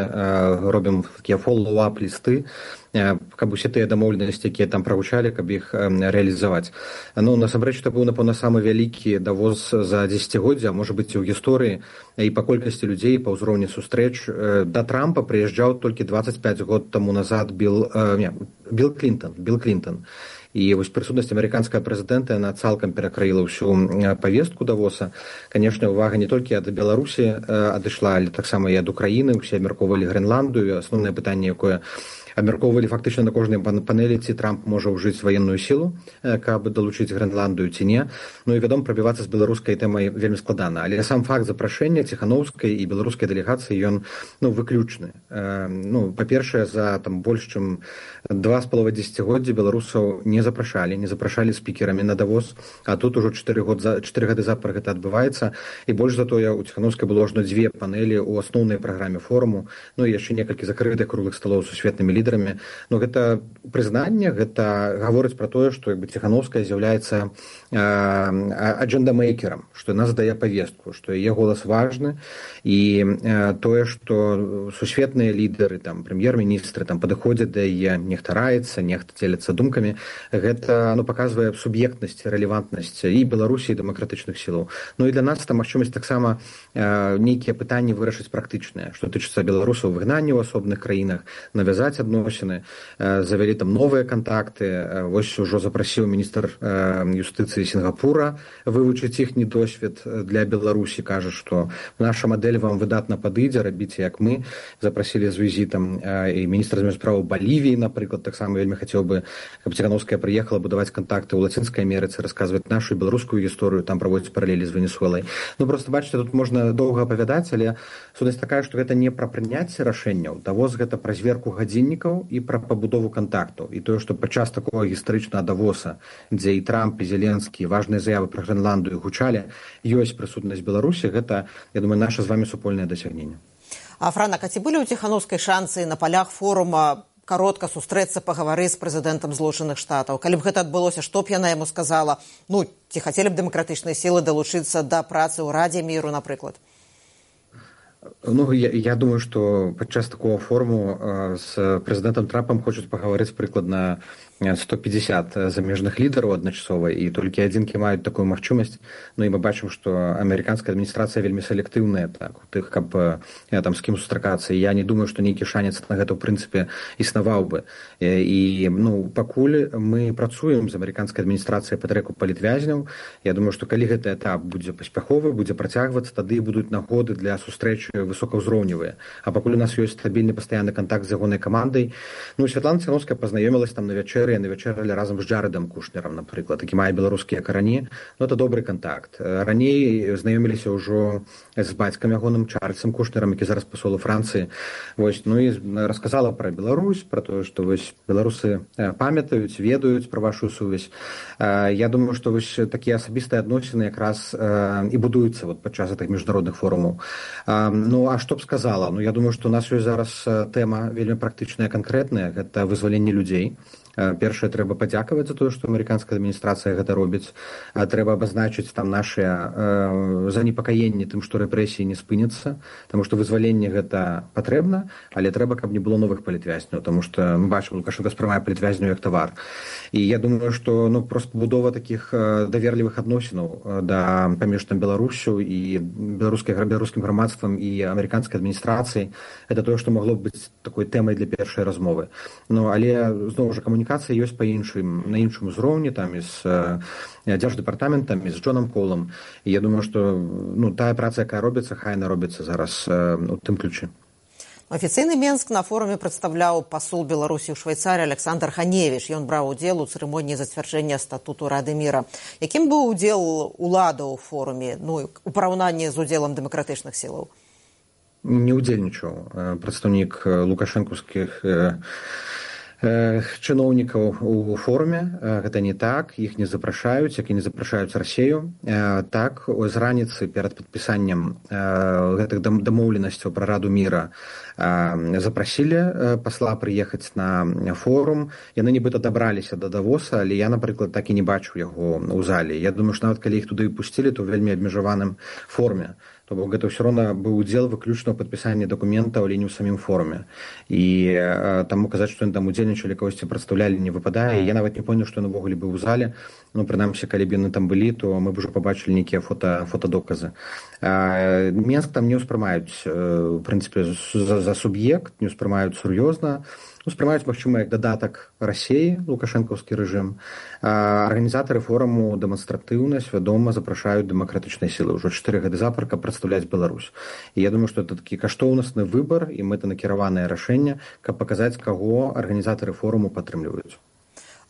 робім такія фоллоу-ап лісты, каб усе тыя дамоўленасці, якія там прагучалі, каб іх рэалізаваць. Ну, насамрэч, это быў, напэўна, самы вялікі Давос за дзесяцігоддзя, можа быць, і ў гісторыі, і па колькасці людзей, па ўзроўні сустрэч. Да Трампа прыязджаў толькі 25 год таму назад Билл Клінтон. І вось прысутнасць амерыканскага прэзідэнта, яна цалкам перакрыла ўсю павестку Давоса. Канешне, увага не толькі ад Беларусі адышла, але таксама і ад Украіны. Усе абмяркоўвалі Грэнландыю. Асноўнае пытанне, якое абмяркоўвалі фактычна на кожнай панелі, ці Трамп можа ўжыць ваенную сілу, каб далучыць Грэнландыю ці не. Ну і, вядома, прабівацца з беларускай тэмай вельмі складана. Але сам факт запрашэння Ціхановскай і беларускай дэлегацыі, ён выключны. Па-першае, за больш чым 2,5 дзесяцігоддзі беларусаў не запрашалі спікерамі на Давос, а тут ужо 4 гады запар гэта адбываецца. І больш за тое, у Ціхановскай было ажно 2 панелі ў асноўнай праграме форуму, ну і яшчэ некалькі закрытых круглых сталоў з сусветнымі лідарамі. Ну, гэта прызнанне, гэта гаворыць пра тое, што Ціхановская з'яўляецца аджэндамейкерам, што яна задае павестку, што яе голас важны, і тое, што сусветныя лідары, прэм'ер-міністры падыходзяць да яе, нехта раецца, нехта дзеляцца думкамі, гэта паказвае суб'ектнасць, рэлевантнасць і Беларусі, і дэмакратычных сілаў. Ну і для нас там магчымасць таксама нейкія пытанні вырашыць практычныя, што тычыцца беларусаў выгнання ў асобных краінах, навязаць адносіны, завялі новыя кантакты. Вось ужо запрасіў міністр юстыцыі Сінгапура вывучыць іхні досвед для Беларусі, кажа, што наша мадэль вам выдатна падыдзе, рабіце як мы. Запрасілі з візітам і міністр замежных справаў Балівіі, напрыклад, таксама вельмі хацеў бы, каб Ціхановская прыехала будаваць кантакты ў Лацінскай Амерыцы, расказваць нашу беларускую гісторыю, там праводзіць паралелі з Венесуэлай. Ну, просто бачыце, тут можна доўга апавядаць, але сутнасць такая, што гэта не пра прыняцце рашэнняў. Давос гэта пра зверку гадзіннікаў і пра пабудову кантактаў. І тое, што падчас такога гістарычнага Давоса, дзе і Трамп, і Зеленскі, важныя заявы пра Грэнландыю гучалі, ёсць прысутнасць Беларусі, гэта, я думаю, наша з вамі супольнае дасягненне. Франак, а ці былі ў Ціханаўскай шансы на палях форума каротка сустрэцца, пагаварыць з прэзідэнтам Злучаных Штатаў? Калі б гэта адбылося, што б яна яму сказала? Ну, ці хацелі б дэмакратычныя сілы далучыцца да працы ў Радзе міру, напрыклад? Ну, я думаю, что подчас такого форуму с президентом Трампом хочуць паговорыць прыкладна 150 замежных лідараў адначасова, і толькі адзінкі маюць такую магчымасць. Ну і мы бачым, што амерыканская адміністрацыя вельмі селектыўная так, у тых, каб там з кім сустракацца. Я не думаю, што нейкі шанец на гэта ў прынцыпе існаваў бы. І ну, пакуль мы працуем з амерыканскай адміністрацыяй па трэку палітвязняў, я думаю, што калі гэты этап будзе паспяховы, будзе працягвацца, тады будуць нагоды для сустрэчы высокаўзроўневыя. А пакуль у нас ёсць стабільны пастаянны кантакт з ягонай камандай, ну, Святлана Ціханаўская пазнаёмілась там на вячэры, яны вячэралі разам з Джарэдам Кушнерам, напрыклад, які мае беларускія карані. Ну, это добры кантакт. Раней знаёміліся ўжо з бацькам ягоным Чарльзам Кушнерам, які зараз пасол у Францыі. Вось, ну і расказала пра Беларусь, пра тое, што вось беларусы памятаюць, ведаюць пра вашу сувязь. Я думаю, што вось такія асабістыя адносіны якраз і будуюцца вот падчас гэтых міжнародных форумаў. Ну, а што б сказала? Ну, я думаю, што у нас ёсць зараз тэма вельмі практычная, канкрэтная, гэта вызваленне людзей. Першае, трэба падзякаваць за тое, што амерыканская адміністрацыя гэта робіць. Трэба абазначыць там нашыя занепакаенні тым, што рэпрэсіі не спыняцца, таму што вызваленне гэта патрэбна, але трэба, каб не было новых палітвязняў, таму што мы бачым, Лукашенко спрымае палітвязняў як тавар. І я думаю, што ну, проста будова такіх даверлівых адносінаў паміж там Беларусю і беларускім грамадствам і амерыканскай адміністрацыяй, гэта тое, што магло б быць такой тэмай для першай размовы. Ну, але, зноў жа, камунікацыя ёсць на іншым узроўні, там, і з дзярждэпартаментам, і з Джонам Колам. І я думаю, што ну, тая праца, якая робіцца, хай яна робіцца зараз у тым ключы. Афіцыйны Менск на форуме прадстаўляў пасол Беларусі ў Швейцарыі Александр Ханевіч. Ён браў удзел у цырымоніі зацвярджэння статуту Рады міра. Якім быў удзел уладаў у форуме, ну, у параўнанні з удзелам дэмакратычных сілаў? Не ўдзельнічаў прадстаўнік лукашэнкаўскіх чыноўнікаў у форуме. Гэта не так, іх не запрашаюць, як і не запрашаюць Расею. Так, з раніцы перад падпісаннем гэтых дамоўленасцяў пра Раду міра запрасілі пасла прыехаць на форум. Яны нібыта дабраліся да Давоса, але я, напрыклад, так і не бачу яго ў зале. Я думаю, што нават калі іх туды пусцілі, то ў вельмі абмежаваным форме. То бок гэта ўсё роўна быў удзел выключна ў падпісанні дакументаў, але не ў самім форуме. І таму казаць, што яны там удзельнічалі, кагосьці прадстаўлялі, не выпадае. Я нават не поняў, што ён увогуле быў у зале. Ну, прынамсі, калі б яны там былі, то мы б ужо пабачылі нейкія фотадоказы. Менск там не ўспрымаюць, у прынцыпе, за суб'ект, не ўспрымаюць сур'ёзна. Успрымаюць, магчыма, як дадатак Расеі, лукашэнкаўскі рэжым. Арганізатары форуму дэманстратыўна, свядома запрашаюць дэмакратычныя сілы ўжо 4 гады запар, каб прадстаўляць Беларусь. І я думаю, што это такі каштоўнасны выбар і мэтанакіраванае рашэнне, каб паказаць, каго арганізатары форуму падтрымліваюць.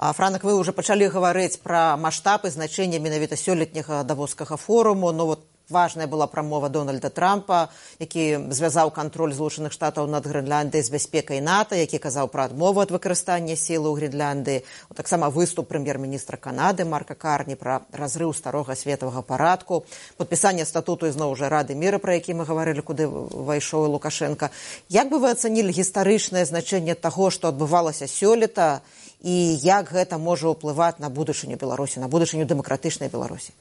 Франак, вы ўжо пачалі гаварыць пра маштаб і значэнне менавіта сёлетняга давоскага форуму. Ну, вот важная была прамова Дональда Трампа, які звязаў кантроль Злучаных Штатаў над Грэнляндыяй з бяспекай НАТО, які казаў пра адмову ад выкарыстання сілы ў Грэнляндыі. Таксама выступ прэм'ер-міністра Канады Марка Карні пра разрыў старога светавага парадку, падпісанне статуту ізноў жа Рады міра, пра які мы гаварылі, куды ўвайшоў Лукашенка. Як бы вы ацанілі гістарычнае значэнне таго, што адбывалася сёлета, і як гэта можа ўплываць на будучыню Беларусі, на будучыню дэмакратычнай Беларусі?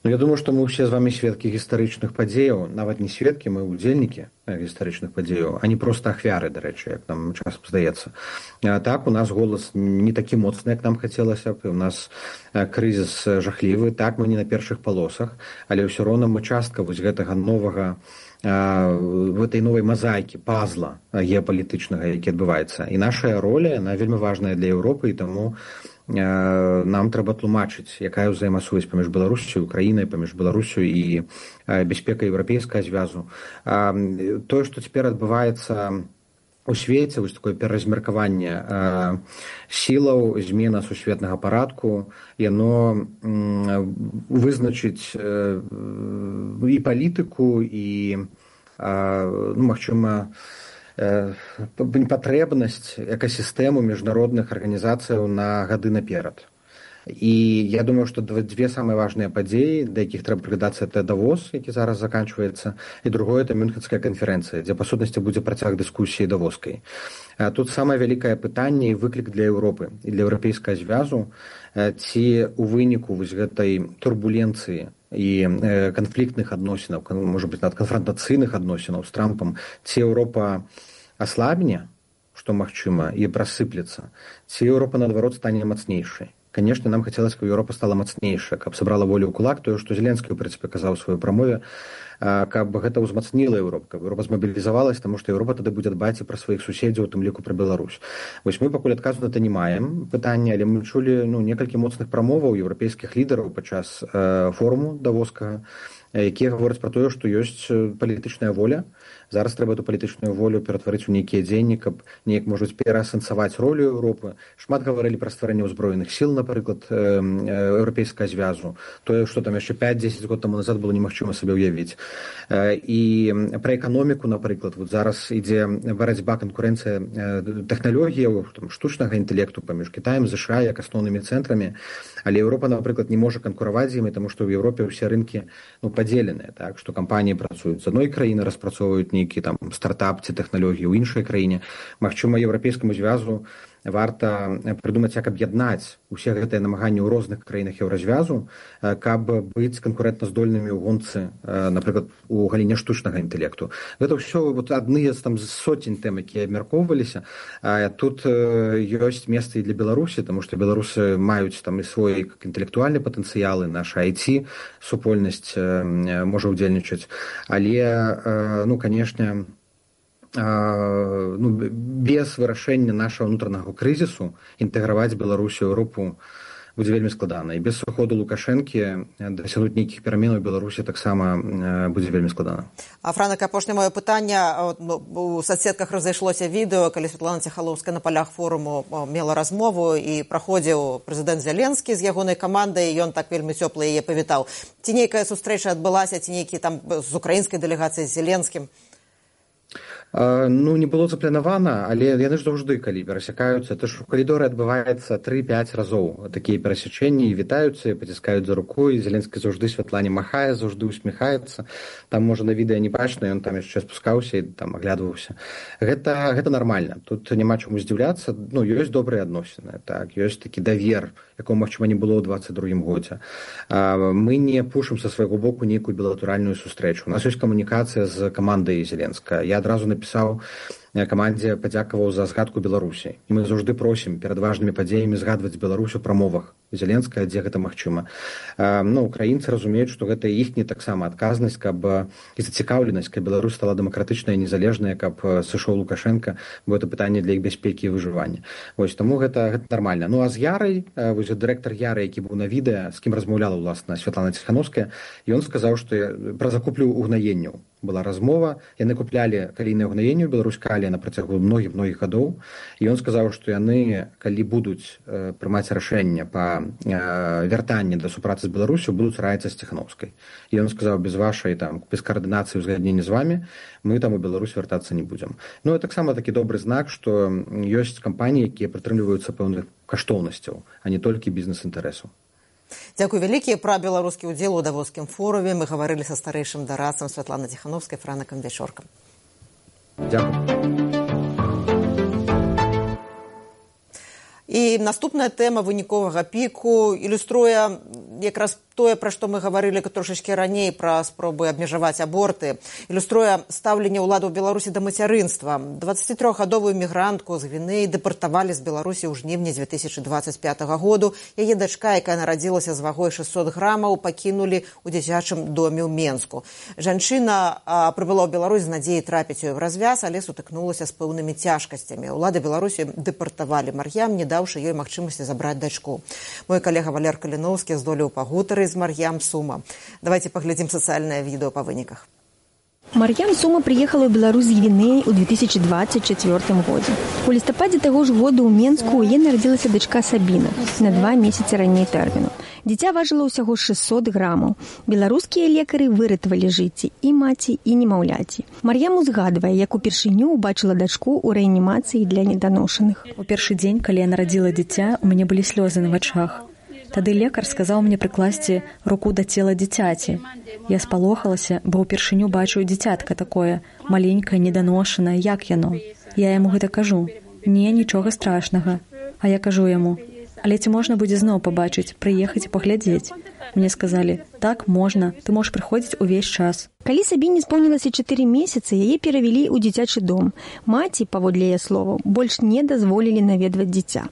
Ну, я думаю, што мы ўсе з вамі сведкі гістарычных падзеяў, нават не сведкі, мы ўдзельнікі гістарычных падзеяў, а не проста ахвяры, дарэчы, як нам часам здаецца. Так, у нас голас не такі моцны, як нам хацелася б, у нас крызіс жахлівы, так, мы не на першых палосах, але ўсё роўна мы частка вось гэтага новага гэтай новай мазаікі, пазла геапалітычнага, які адбываецца. І наша роля, яна вельмі важная для Еўропы, і таму нам трэба тлумачыць, якая ўзаемасувязь паміж Беларусю і Украінай, паміж Беларусю і бяспекай еўрапейскага звязу. Тое, што цяпер адбываецца у свеце, вось такое пераразмеркаванне сілаў, змена сусветнага парадку, яно вызначыць і палітыку, і, ну, магчыма, патрэбнасць экасістэму міжнародных арганізацыяў на гады наперад. І я думаю, што дзве самыя важныя падзеі, да якіх трэба прыглядацца, это Давос, які зараз заканчваецца, і другое, это Мюнхенская канферэнцыя, дзе, па сутнасці, будзе працяг дыскусіі давоскай. Тут самае вялікае пытанне і выклік для Еўропы і для еўрапейскага звязу, ці у выніку вось гэтай турбуленцыі і канфліктных адносінаў, можа быць, нават канфрантацыйных адносінаў з Трампам, ці Еўропа аслабне, што магчыма, і прасыплецца, ці Еўропа, наадварот, стане мацнейшай. Конечно, нам хацелася, каб Еўропа стала мацнейшая, каб сабрала волю ў кулак, тое, што Зеленскі, у прынцыпе, казаў у сваёй прамове, каб гэта ўзмацніла Еўропу, каб Еўропа змабілізавалась, таму што Еўропа тады будзе дбаць і пра сваіх суседзяў, у тым ліку пра Беларусь. Вось мы пакуль адказу на гэта не маем пытання, але мы чулі некалькі моцных прамоваў еўрапейскіх лідараў падчас форуму давоскага, якія гавораць пра тое, што ёсць палітычная воля. Зараз трэба эту палітычную волю ператварыць у нейкія дзеянні, каб неяк, можа быць, пераасэнсаваць ролю Еўропы. Шмат гаварылі пра стварэнне ўзброеных сіл, напрыклад, еўрапейскага звязу. Тое, што там яшчэ 5-10 год таму назад было немагчыма сабе ўявіць. І пра эканоміку, напрыклад, вот зараз ідзе барацьба, канкурэнцыя тэхналогіяў, штучнага інтэлекту паміж Кітаем, США як асноўнымі цэнтрамі. Але Еўропа, напрыклад, не можа канкураваць з імі, таму што ў Еўропе ўсе рынкі падзеленыя, так, што кампаніі працуюць з адной краіны, распрацоўваюць нейкі там стартап ці тэхналогіі ў іншай краіне. Магчыма, еўрапейскаму звязу варта прыдумаць, як аб'яднаць усе гэтыя намаганні ў розных краінах еўразвязу, каб быць канкурэнтназдольнымі ў гонцы, напрыклад, у галіне штучнага інтэлекту. Гэта ўсё адны з соцень тэм, якія абмяркоўваліся. Тут ёсць месца і для Беларусі, таму што беларусы маюць там і свой інтэлектуальны патэнцыял, і наша IT супольнасць можа ўдзельнічаць. Але, канешне, без вырашэння нашага ўнутранага крызісу інтэграваць Беларусь у Еўропу будзе вельмі складана. І без сыходу Лукашэнкі дасягнуць нейкіх пераменаў у Беларусі таксама будзе вельмі складана. Франак, апошняе маё пытанне. У соцсетках разышлося відэо, калі Святлана Ціханаўская на палях форуму мела размову і праходзіў прэзідэнт Зеленскі з ягонай камандай, і ён так вельмі цёпла яе павітаў. Ці нейкая сустрэча адбылася, ці нейкі там з украінскай дэлегацыяй, з Зеленскім? Не было запланавана, але яны ж заўжды, калі перасякаюцца, то ж у калідоры адбываецца 3-5 разоў такія перасячэнні, і вітаюцца, і паціскаюць за руку, і Зеленскі заўжды Святлане махае, заўжды усміхаецца. Там, можа, на відэа не бачна, ён там яшчэ спускаўся і там аглядваўся. Гэта нармальна. Тут няма чаму здзіўляцца. Ёсць добрыя адносіны, так, ёсць такі давер, якого, магчыма, не было ў 22-м годзе. Мы не пушым са свайго боку нейкую білатэральную сустрэчу. У нас ёсць камунікацыя з камандай Зеленска. Я адразу напісаў камандзе, падзякаваў за згадку Беларусі. І мы заўжды просім перад важнымі падзеямі згадваць Беларусь у прамовах Зеленскага, дзе гэта магчыма. Украінцы разумеюць, што гэта іхняя таксама адказнасць, і зацікаўленасць, каб Беларусь стала дэмакратычная і незалежная, каб сышоў Лукашенка, бо гэта пытанне для іх бяспекі і выжывання. Вось, таму гэта нармальна. А з Ярай, вось дырэктар Яры, які быў на відэа, з кім размаўляла, уласна, Святлана Ціханаўская, ён сказаў, што пра закуплю угнаенняў была размова. Яны куплялі калійныя угнаенні ў Беларусь-Калі на працягу многіх гадоў. І ён сказаў, што яны, калі будуць прымаць рашэнне па вяртанні да супрацы з Беларусю, будуць раіцца з Ціханаўскай. І ён сказаў, без вашай без каардынацыі ўзгаднення з вамі мы там у Беларусь вяртацца не будзем. Таксама такі добры знак, што ёсць кампаніі, якія прытрымліваюцца пэўных каштоўнасцяў, а не толькі бізнес-інтарэсу. Дзякуй вялікі. Пра беларускі ўдзел у давоскім форуме мы гаварылі са старэйшым дарадцам Святланай Ціханаўскай, Франакам Вячоркам. Дзякуй. І наступная тэма выніковага піку ілюструе якраз тое, пра што мы гаварылі трошачкі раней, пра спробы абмежаваць аборты. Ілюструе стаўленне ўладаў Беларусі да мацярынства. 23-гадовую мігрантку з Гвінеі дэпартавалі з Беларусі ў жніўні 2025 году. Яе дачка, якая нарадзілася з вагой 600 грамаў, пакінулі ў дзіцячым доме ў Менску. Жанчына прыбыла ў Беларусь з надзеяй трапіць у Еўразвяз, але сутыкнулася з пэўнымі цяжкасцямі. Улады Беларусі дэпартавалі Мар'ям, не даўшы ёй магчымасці забраць дачку. Мой калега Валер Каліноўскі здолеў пагутарыць з Мар'ям Сума. Давайте паглядзім сацыяльнае відэо па выніках. Мар'ям Сума приехала ў Беларусь з Гвінеі ў 2024 годзе. У лістападзе таго ж года ў Менску ў яе нарадзілася дачка Сабіна на 2 месяцы раней тэрміну. Дзіця важыла ўсяго 600 грамаў. Беларускія лекары выратавалі жыцці і маці, і немаўляці. Мар'ям узгадвае, як упершыню убачыла дачку ў рэанімацыі для неданошаных. У першы дзень, калі я нарадзіла дзіця, у мяне былі слёзы на вачах. Тады лекар сказаў мне прыкласці руку да цела дзіцяці. Я спалохалася, бо ўпершыню бачу дзіцятка такое, маленькае, неданошанае, як яно. Я яму гэта кажу. Не, нічога страшнага. А я кажу яму: але ці можна будзе зноў пабачыць, прыехаць і паглядзець? Мне сказалі: так, можна, ты можаш прыходзіць увесь час. Калі Сабіне споўнілася 4 месяцы, яе перавялі ў дзіцячы дом. Маці, паводле яе словаў, больш не дазволілі наведваць дзіця.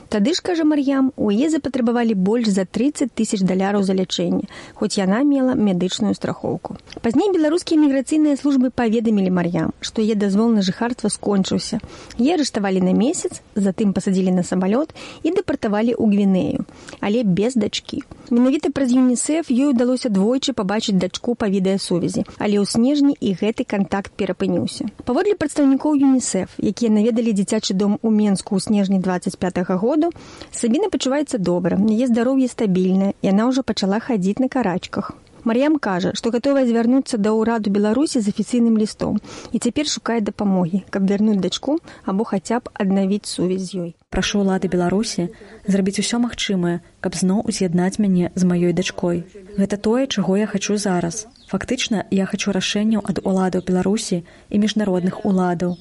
Тады ж, кажа Мар'ям, у яе запатрабавалі больш за $30 000 за лячэнне, хоць яна мела медычную страхоўку. Пазней беларускія міграцыйныя службы паведамілі Мар'ям, што яе дазвол на жыхарства скончыўся. Яе арыштавалі на месяц, затым пасадзілі на самалёт і дэпартавалі ў Гвінею, але без дачкі. Менавіта праз ЮНІСЕФ ёй удалося двойчы пабачыць дачку па відэасувязі, але ў снежні і гэты кантакт перапыніўся. Паводле прадстаўнікоў ЮНІСЕФ, якія наведалі дзіцячы дом у Менску ў снежні 25-го году, Сабіна пачуваецца добра, яе здароўе стабільнае, яна ўжо пачала хадзіць на карачках. Мар'ям кажа, што гатовая звярнуцца да ўраду Беларусі з афіцыйным лістом і цяпер шукае дапамогі, каб вярнуць дачку або хаця б аднавіць сувязь з ёй. Прашу ўлады Беларусі зрабіць усё магчымае, каб зноў уз'яднаць мяне з маёй дачкой. Гэта тое, чаго я хачу зараз. Фактычна, я хачу рашэнняў ад уладаў Беларусі і міжнародных уладаў.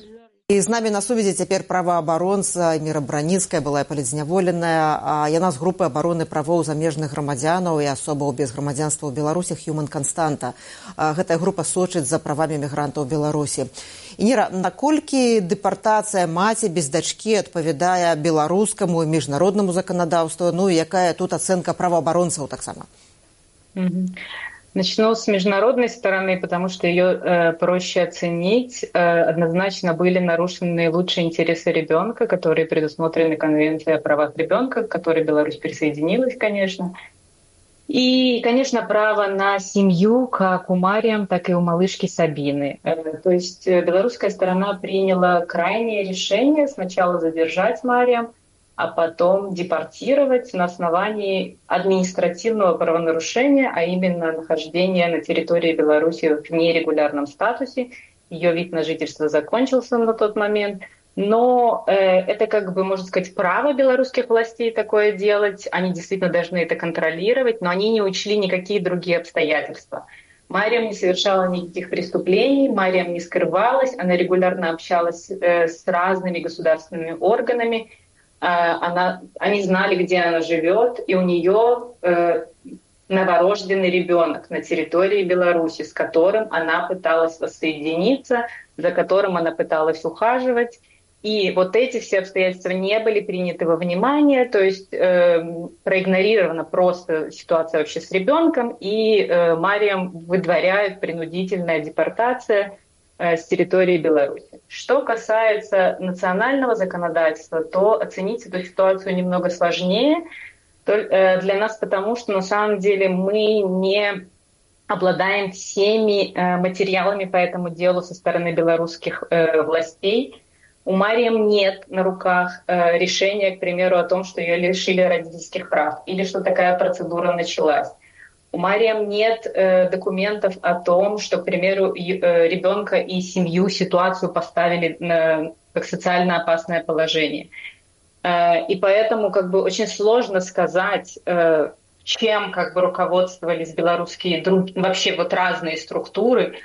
І з намі на сувязі цяпер праваабаронца Міра Браніцкая, была палітзняволеная. Яна з групы абароны правоў замежных грамадзянаў і асобаў без грамадзянства ў Беларусі Human Constanta. Гэтая група сочыць за правамі мігрантаў у Беларусі. Ініра, наколькі дэпартацыя маці без дачкі адпавядае беларускаму і міжнароднаму заканадаўству, ну і якая тут ацэнка праваабаронцаў таксама? Начну с международной стороны, потому что ее проще оценить. Однозначно были нарушены лучшие интересы ребенка, которые предусмотрены Конвенцией о правах ребенка, к которой Беларусь присоединилась, конечно. И, конечно, право на семью как у Марьям, так и у малышки Сабины. То есть белорусская сторона приняла крайнее решение сначала задержать Марьям, а потом депортировать на основании административного правонарушения, а именно нахождения на территории Беларуси в нерегулярном статусе. Ее вид на жительство закончился на тот момент. Но это, как бы, можно сказать, право белорусских властей такое делать. Они действительно должны это контролировать, но они не учли никакие другие обстоятельства. Марьям не совершала никаких преступлений, Марьям не скрывалась, она регулярно общалась с разными государственными органами. Они знали, где она живет, и у нее новорожденный ребенок на территории Беларуси, с которым она пыталась воссоединиться, за которым она пыталась ухаживать. И вот эти все обстоятельства не были приняты во внимание, то есть проигнорирована просто ситуация вообще с ребенком, и Марьям выдворяет принудительная депортация с территории Беларуси. Что касается национального законодательства, то оценить эту ситуацию немного сложнее для нас, потому что на самом деле мы не обладаем всеми материалами по этому делу со стороны белорусских властей. У Марьям нет на руках решения, к примеру, о том, что ее лишили родительских прав или что такая процедура началась. У Марьям нет документов о том, что, к примеру, ребенка и семью, ситуацию поставили как социально опасное положение. И поэтому как бы очень сложно сказать, чем как бы руководствовались белорусские вообще вот разные структуры,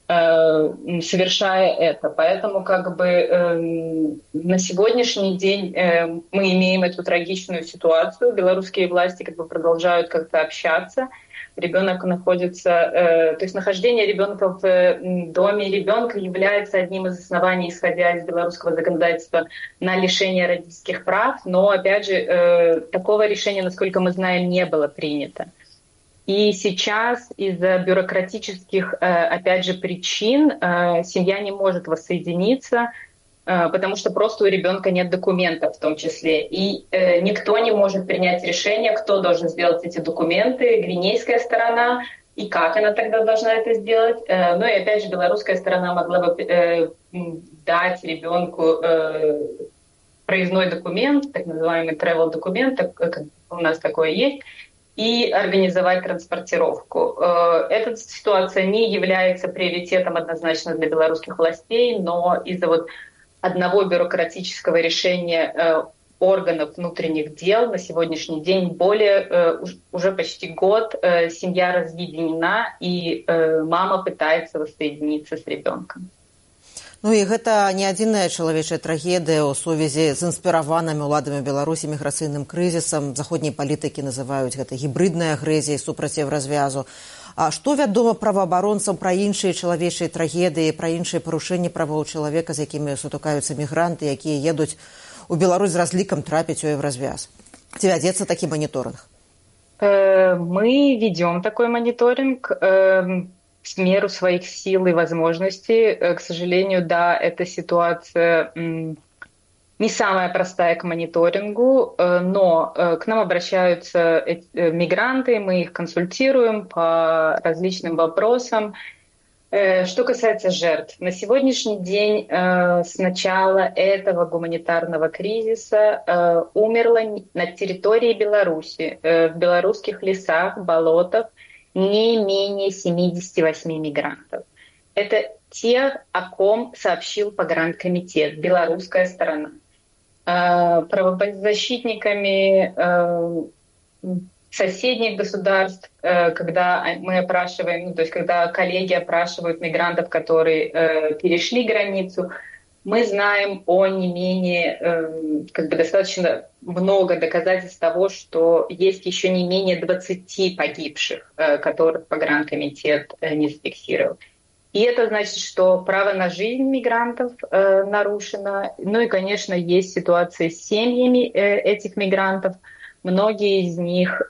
совершая это. Поэтому как бы на сегодняшний день мы имеем эту трагичную ситуацию. Белорусские власти как бы продолжают как-то общаться. Ребенок находится, то есть нахождение ребенка в доме ребенка является одним из оснований, исходя из белорусского законодательства, на лишение родительских прав. Но, опять же, такого решения, насколько мы знаем, не было принято. И сейчас из-за бюрократических, опять же, причин семья не может воссоединиться, потому что просто у ребенка нет документов в том числе. И никто не может принять решение, кто должен сделать эти документы, гвинейская сторона, и как она тогда должна это сделать. Ну и опять же, белорусская сторона могла бы дать ребенку проездной документ, так называемый travel документ, как у нас такое есть, и организовать транспортировку. Эта ситуация не является приоритетом однозначно для белорусских властей, но из-за вот одного бюрократического решения органов внутренних дел. На сегодняшний день уже почти год семья разъединена, и мама пытается воссоединиться с ребенком. Ну і гэта не адзіная чалавечая трагедыя ў сувязі з інспіраванымі ўладамі Беларусі міграцыйным крызісам. Заходнія палітыкі называюць гэта гібриднай агрэсіяй супраць Еўразвязу. А што вядома праваабаронцам пра іншыя чалавечыя трагедыі, пра іншыя парушэнні правоў чалавека, з якімі сутыкаюцца мігранты, якія едуць у Беларусь з разлікам трапіць у Еўразвяз? Ці вядзецца такі моніторинг? Мы ведем такой мониторинг в меру своих сил и возможностей. К сожалению, да, эта ситуация не самая простая к мониторингу, но к нам обращаются мигранты, мы их консультируем по различным вопросам. Что касается жертв, на сегодняшний день с начала этого гуманитарного кризиса умерло на территории Беларуси, в белорусских лесах, болотах, не менее 78 мигрантов. Это те, о ком сообщил погранкомитет, белорусская сторона. Правозащитниками соседних государств, когда мы опрашиваем, то есть когда коллеги опрашивают мигрантов, которые перешли границу, мы знаем о не менее, достаточно много доказательств того, что есть еще не менее 20 погибших, которых погранкомитет не зафиксировал. И это значит, что право на жизнь мигрантов нарушено. Ну и, конечно, есть ситуации с семьями этих мигрантов. Многие из них,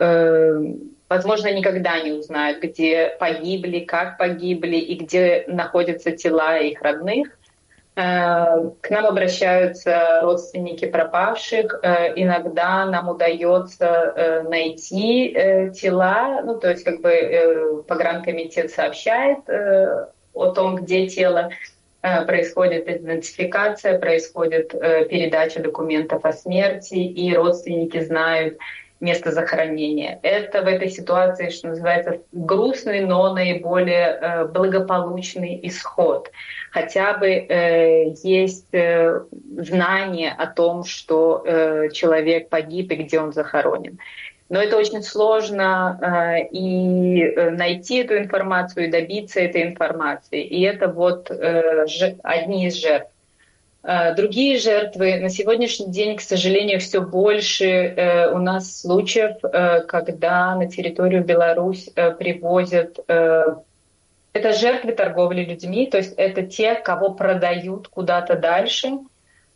возможно, никогда не узнают, где погибли, как погибли и где находятся тела их родных. К нам обращаются родственники пропавших. Иногда нам удается найти тела. Ну, то есть, погранкомитет сообщает о том, где тело, происходит идентификация, происходит передача документов о смерти, и родственники знают место захоронения. Это в этой ситуации, что называется, грустный, но наиболее благополучный исход. Хотя бы есть знание о том, что человек погиб и где он захоронен. Но это очень сложно и найти эту информацию, и добиться этой информации. И это вот одни из жертв. Другие жертвы на сегодняшний день, к сожалению, все больше у нас случаев, когда на территорию Беларусь привозят... Это жертвы торговли людьми, то есть это те, кого продают куда-то дальше,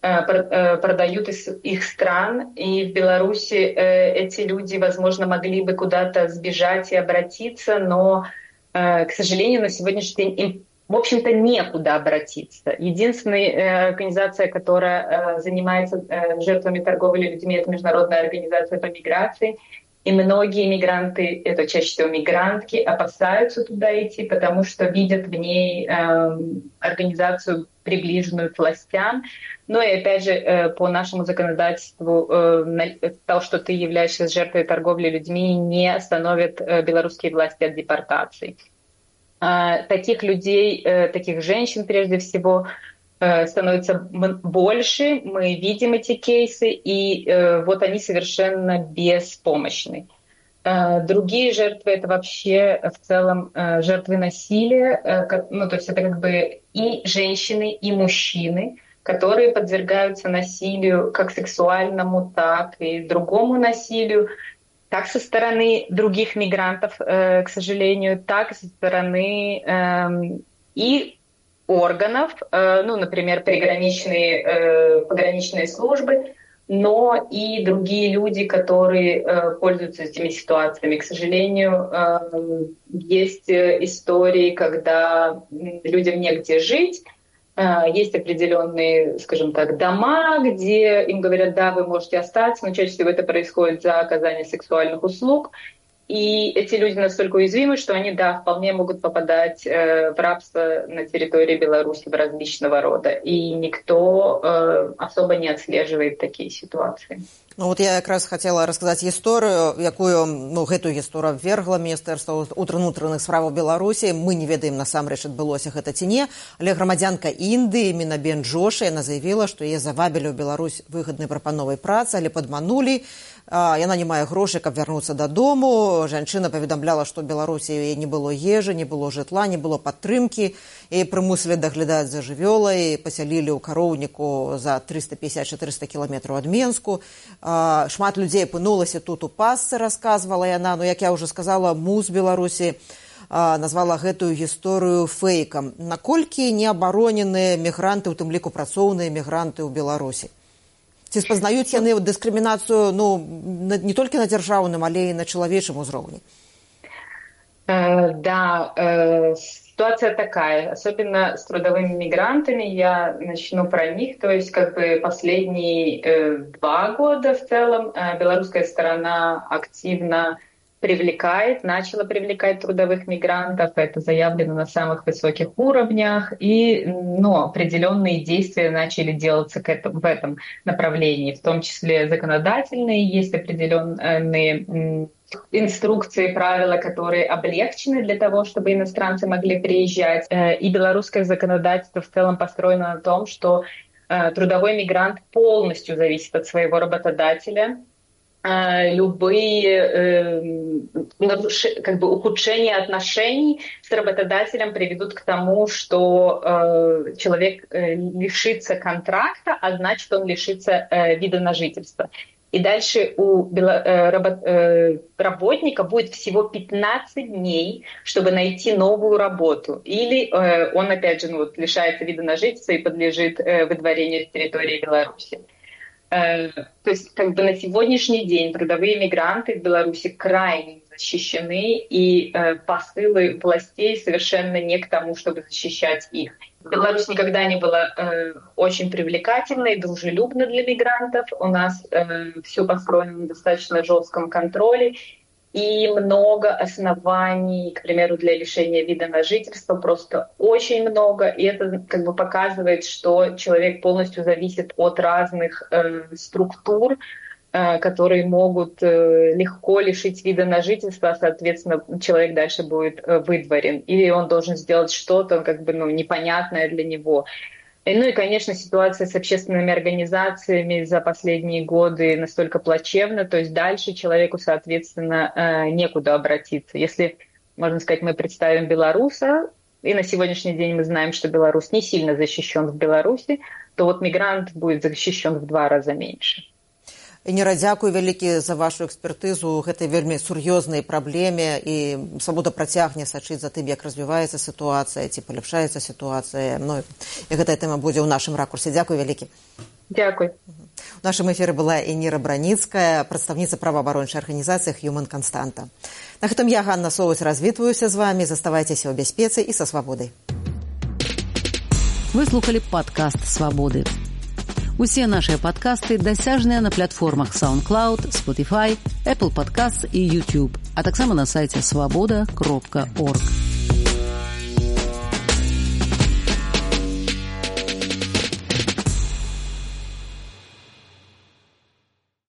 продают из их стран. И в Беларуси эти люди, возможно, могли бы куда-то сбежать и обратиться, но, к сожалению, на сегодняшний день им, в общем-то, некуда обратиться. Единственная организация, которая занимается жертвами торговли людьми, это Международная организация по миграции. И многие мигранты, это чаще всего мигрантки, опасаются туда идти, потому что видят в ней организацию, приближенную к властям. Но и опять же, по нашему законодательству, то, что ты являешься жертвой торговли людьми, не остановит белорусские власти от депортации. Таких людей, таких женщин прежде всего, становится больше, мы видим эти кейсы, и вот они совершенно беспомощны. Другие жертвы — это вообще в целом жертвы насилия, ну, то есть это и женщины, и мужчины, которые подвергаются насилию как сексуальному, так и другому насилию, как со стороны других мигрантов, к сожалению, так и со стороны и органов, ну, например, пограничные службы, но и другие люди, которые пользуются этими ситуациями. К сожалению, есть истории, когда людям негде жить, есть определенные, скажем так, дома, где им говорят: да, вы можете остаться, но чаще всего это происходит за оказание сексуальных услуг. И эти люди настолько уязвимы, что они, да, вполне могут попадать в рабство на территории Беларуси в различного рода. И никто особо не отслеживает такие ситуации. Ну вот я якраз хотела рассказать гісторыю, якую, гэтую гісторыю абвергла Міністэрства ўнутраных справаў Беларусі. Мы не ведаем насамрэч адбылося гэта ці не, але грамадзянка Індыі Мінабен Джошы, яна заявіла, што яе завабілі ў Беларусь выгаднай прапановай працы, але падманулі. Яна не мае грошай, каб вярнуцца дадому. Жанчына паведамляла, што ў Беларусі яе не было ежы, не было жытла, не было падтрымкі. І прымусілі даглядаць за жывёлай, пасялілі ў кароўніку за 350-400 кіламетраў ад Менску. Шмат людзей апынулася тут у пасцы, расказвала яна. Ну, як я ўжо сказала, МУЗ Беларусі назвала гэтую гісторыю фэйкам. Наколькі неабароненыя мігранты, у тым ліку працоўныя мігранты ў Беларусі? Ці спазнаюць яны дыскрымінацыю не толькі на дзяржаўным, але і на чалавечым узроўні? Да, ситуация такая, особенно с трудовыми мигрантами, я начну про них, то есть последние 2 года в целом белорусская сторона активно начала привлекать трудовых мигрантов, это заявлено на самых высоких уровнях, и определенные действия начали делаться в этом направлении, в том числе законодательные, есть определенные инструкции, правила, которые облегчены для того, чтобы иностранцы могли приезжать, и белорусское законодательство в целом построено на том, что трудовой мигрант полностью зависит от своего работодателя. Любые ухудшения отношений с работодателем приведут к тому, что человек лишится контракта, а значит, он лишится вида на жительство. И дальше у работника будет всего 15 дней, чтобы найти новую работу. Или он, опять же, лишается вида на жительство и подлежит выдворению с территории Беларуси. То есть на сегодняшний день трудовые мигранты в Беларуси крайне защищены, и посылы властей совершенно не к тому, чтобы защищать их. Беларусь никогда не была очень привлекательной, дружелюбной для мигрантов. У нас все построено на достаточно жестком контроле, и много оснований, к примеру, для лишения вида на жительство, просто очень много. И это показывает, что человек полностью зависит от разных структур, которые могут легко лишить вида на жительство, а, соответственно, человек дальше будет выдворен. Или он должен сделать что-то непонятное для него. Ну и, конечно, ситуация с общественными организациями за последние годы настолько плачевна, то есть дальше человеку, соответственно, некуда обратиться. Если, можно сказать, мы представим белоруса, и на сегодняшний день мы знаем, что белорус не сильно защищен в Беларуси, то мигрант будет защищен в 2 раза меньше. Ініра, дзякую вялікі за вашу экспертызу гэтай вельмі сур'ёзнай праблеме, і Свабода працягне сачыць за тым, як развіваецца сітуацыя, ці паляпшаецца сітуацыя. І гэтая тэма будзе ў нашым ракурсе. Дзякую вялікі. Дзякуй. У нашым эфіры была Ініра Браніцкая, прадстаўніца праваабарончай арганізацыі Human Constanta. На гэтым я, Ганна Соваць, развітваюся з вамі. Заставайцеся ў бяспецы і са свабодай. Вы слухали падкаст «Свабоды». Усе нашыя падкасты дасяжныя на платформах SoundCloud, Spotify, Apple Podcasts і YouTube, а таксама на сайце swaboda.org.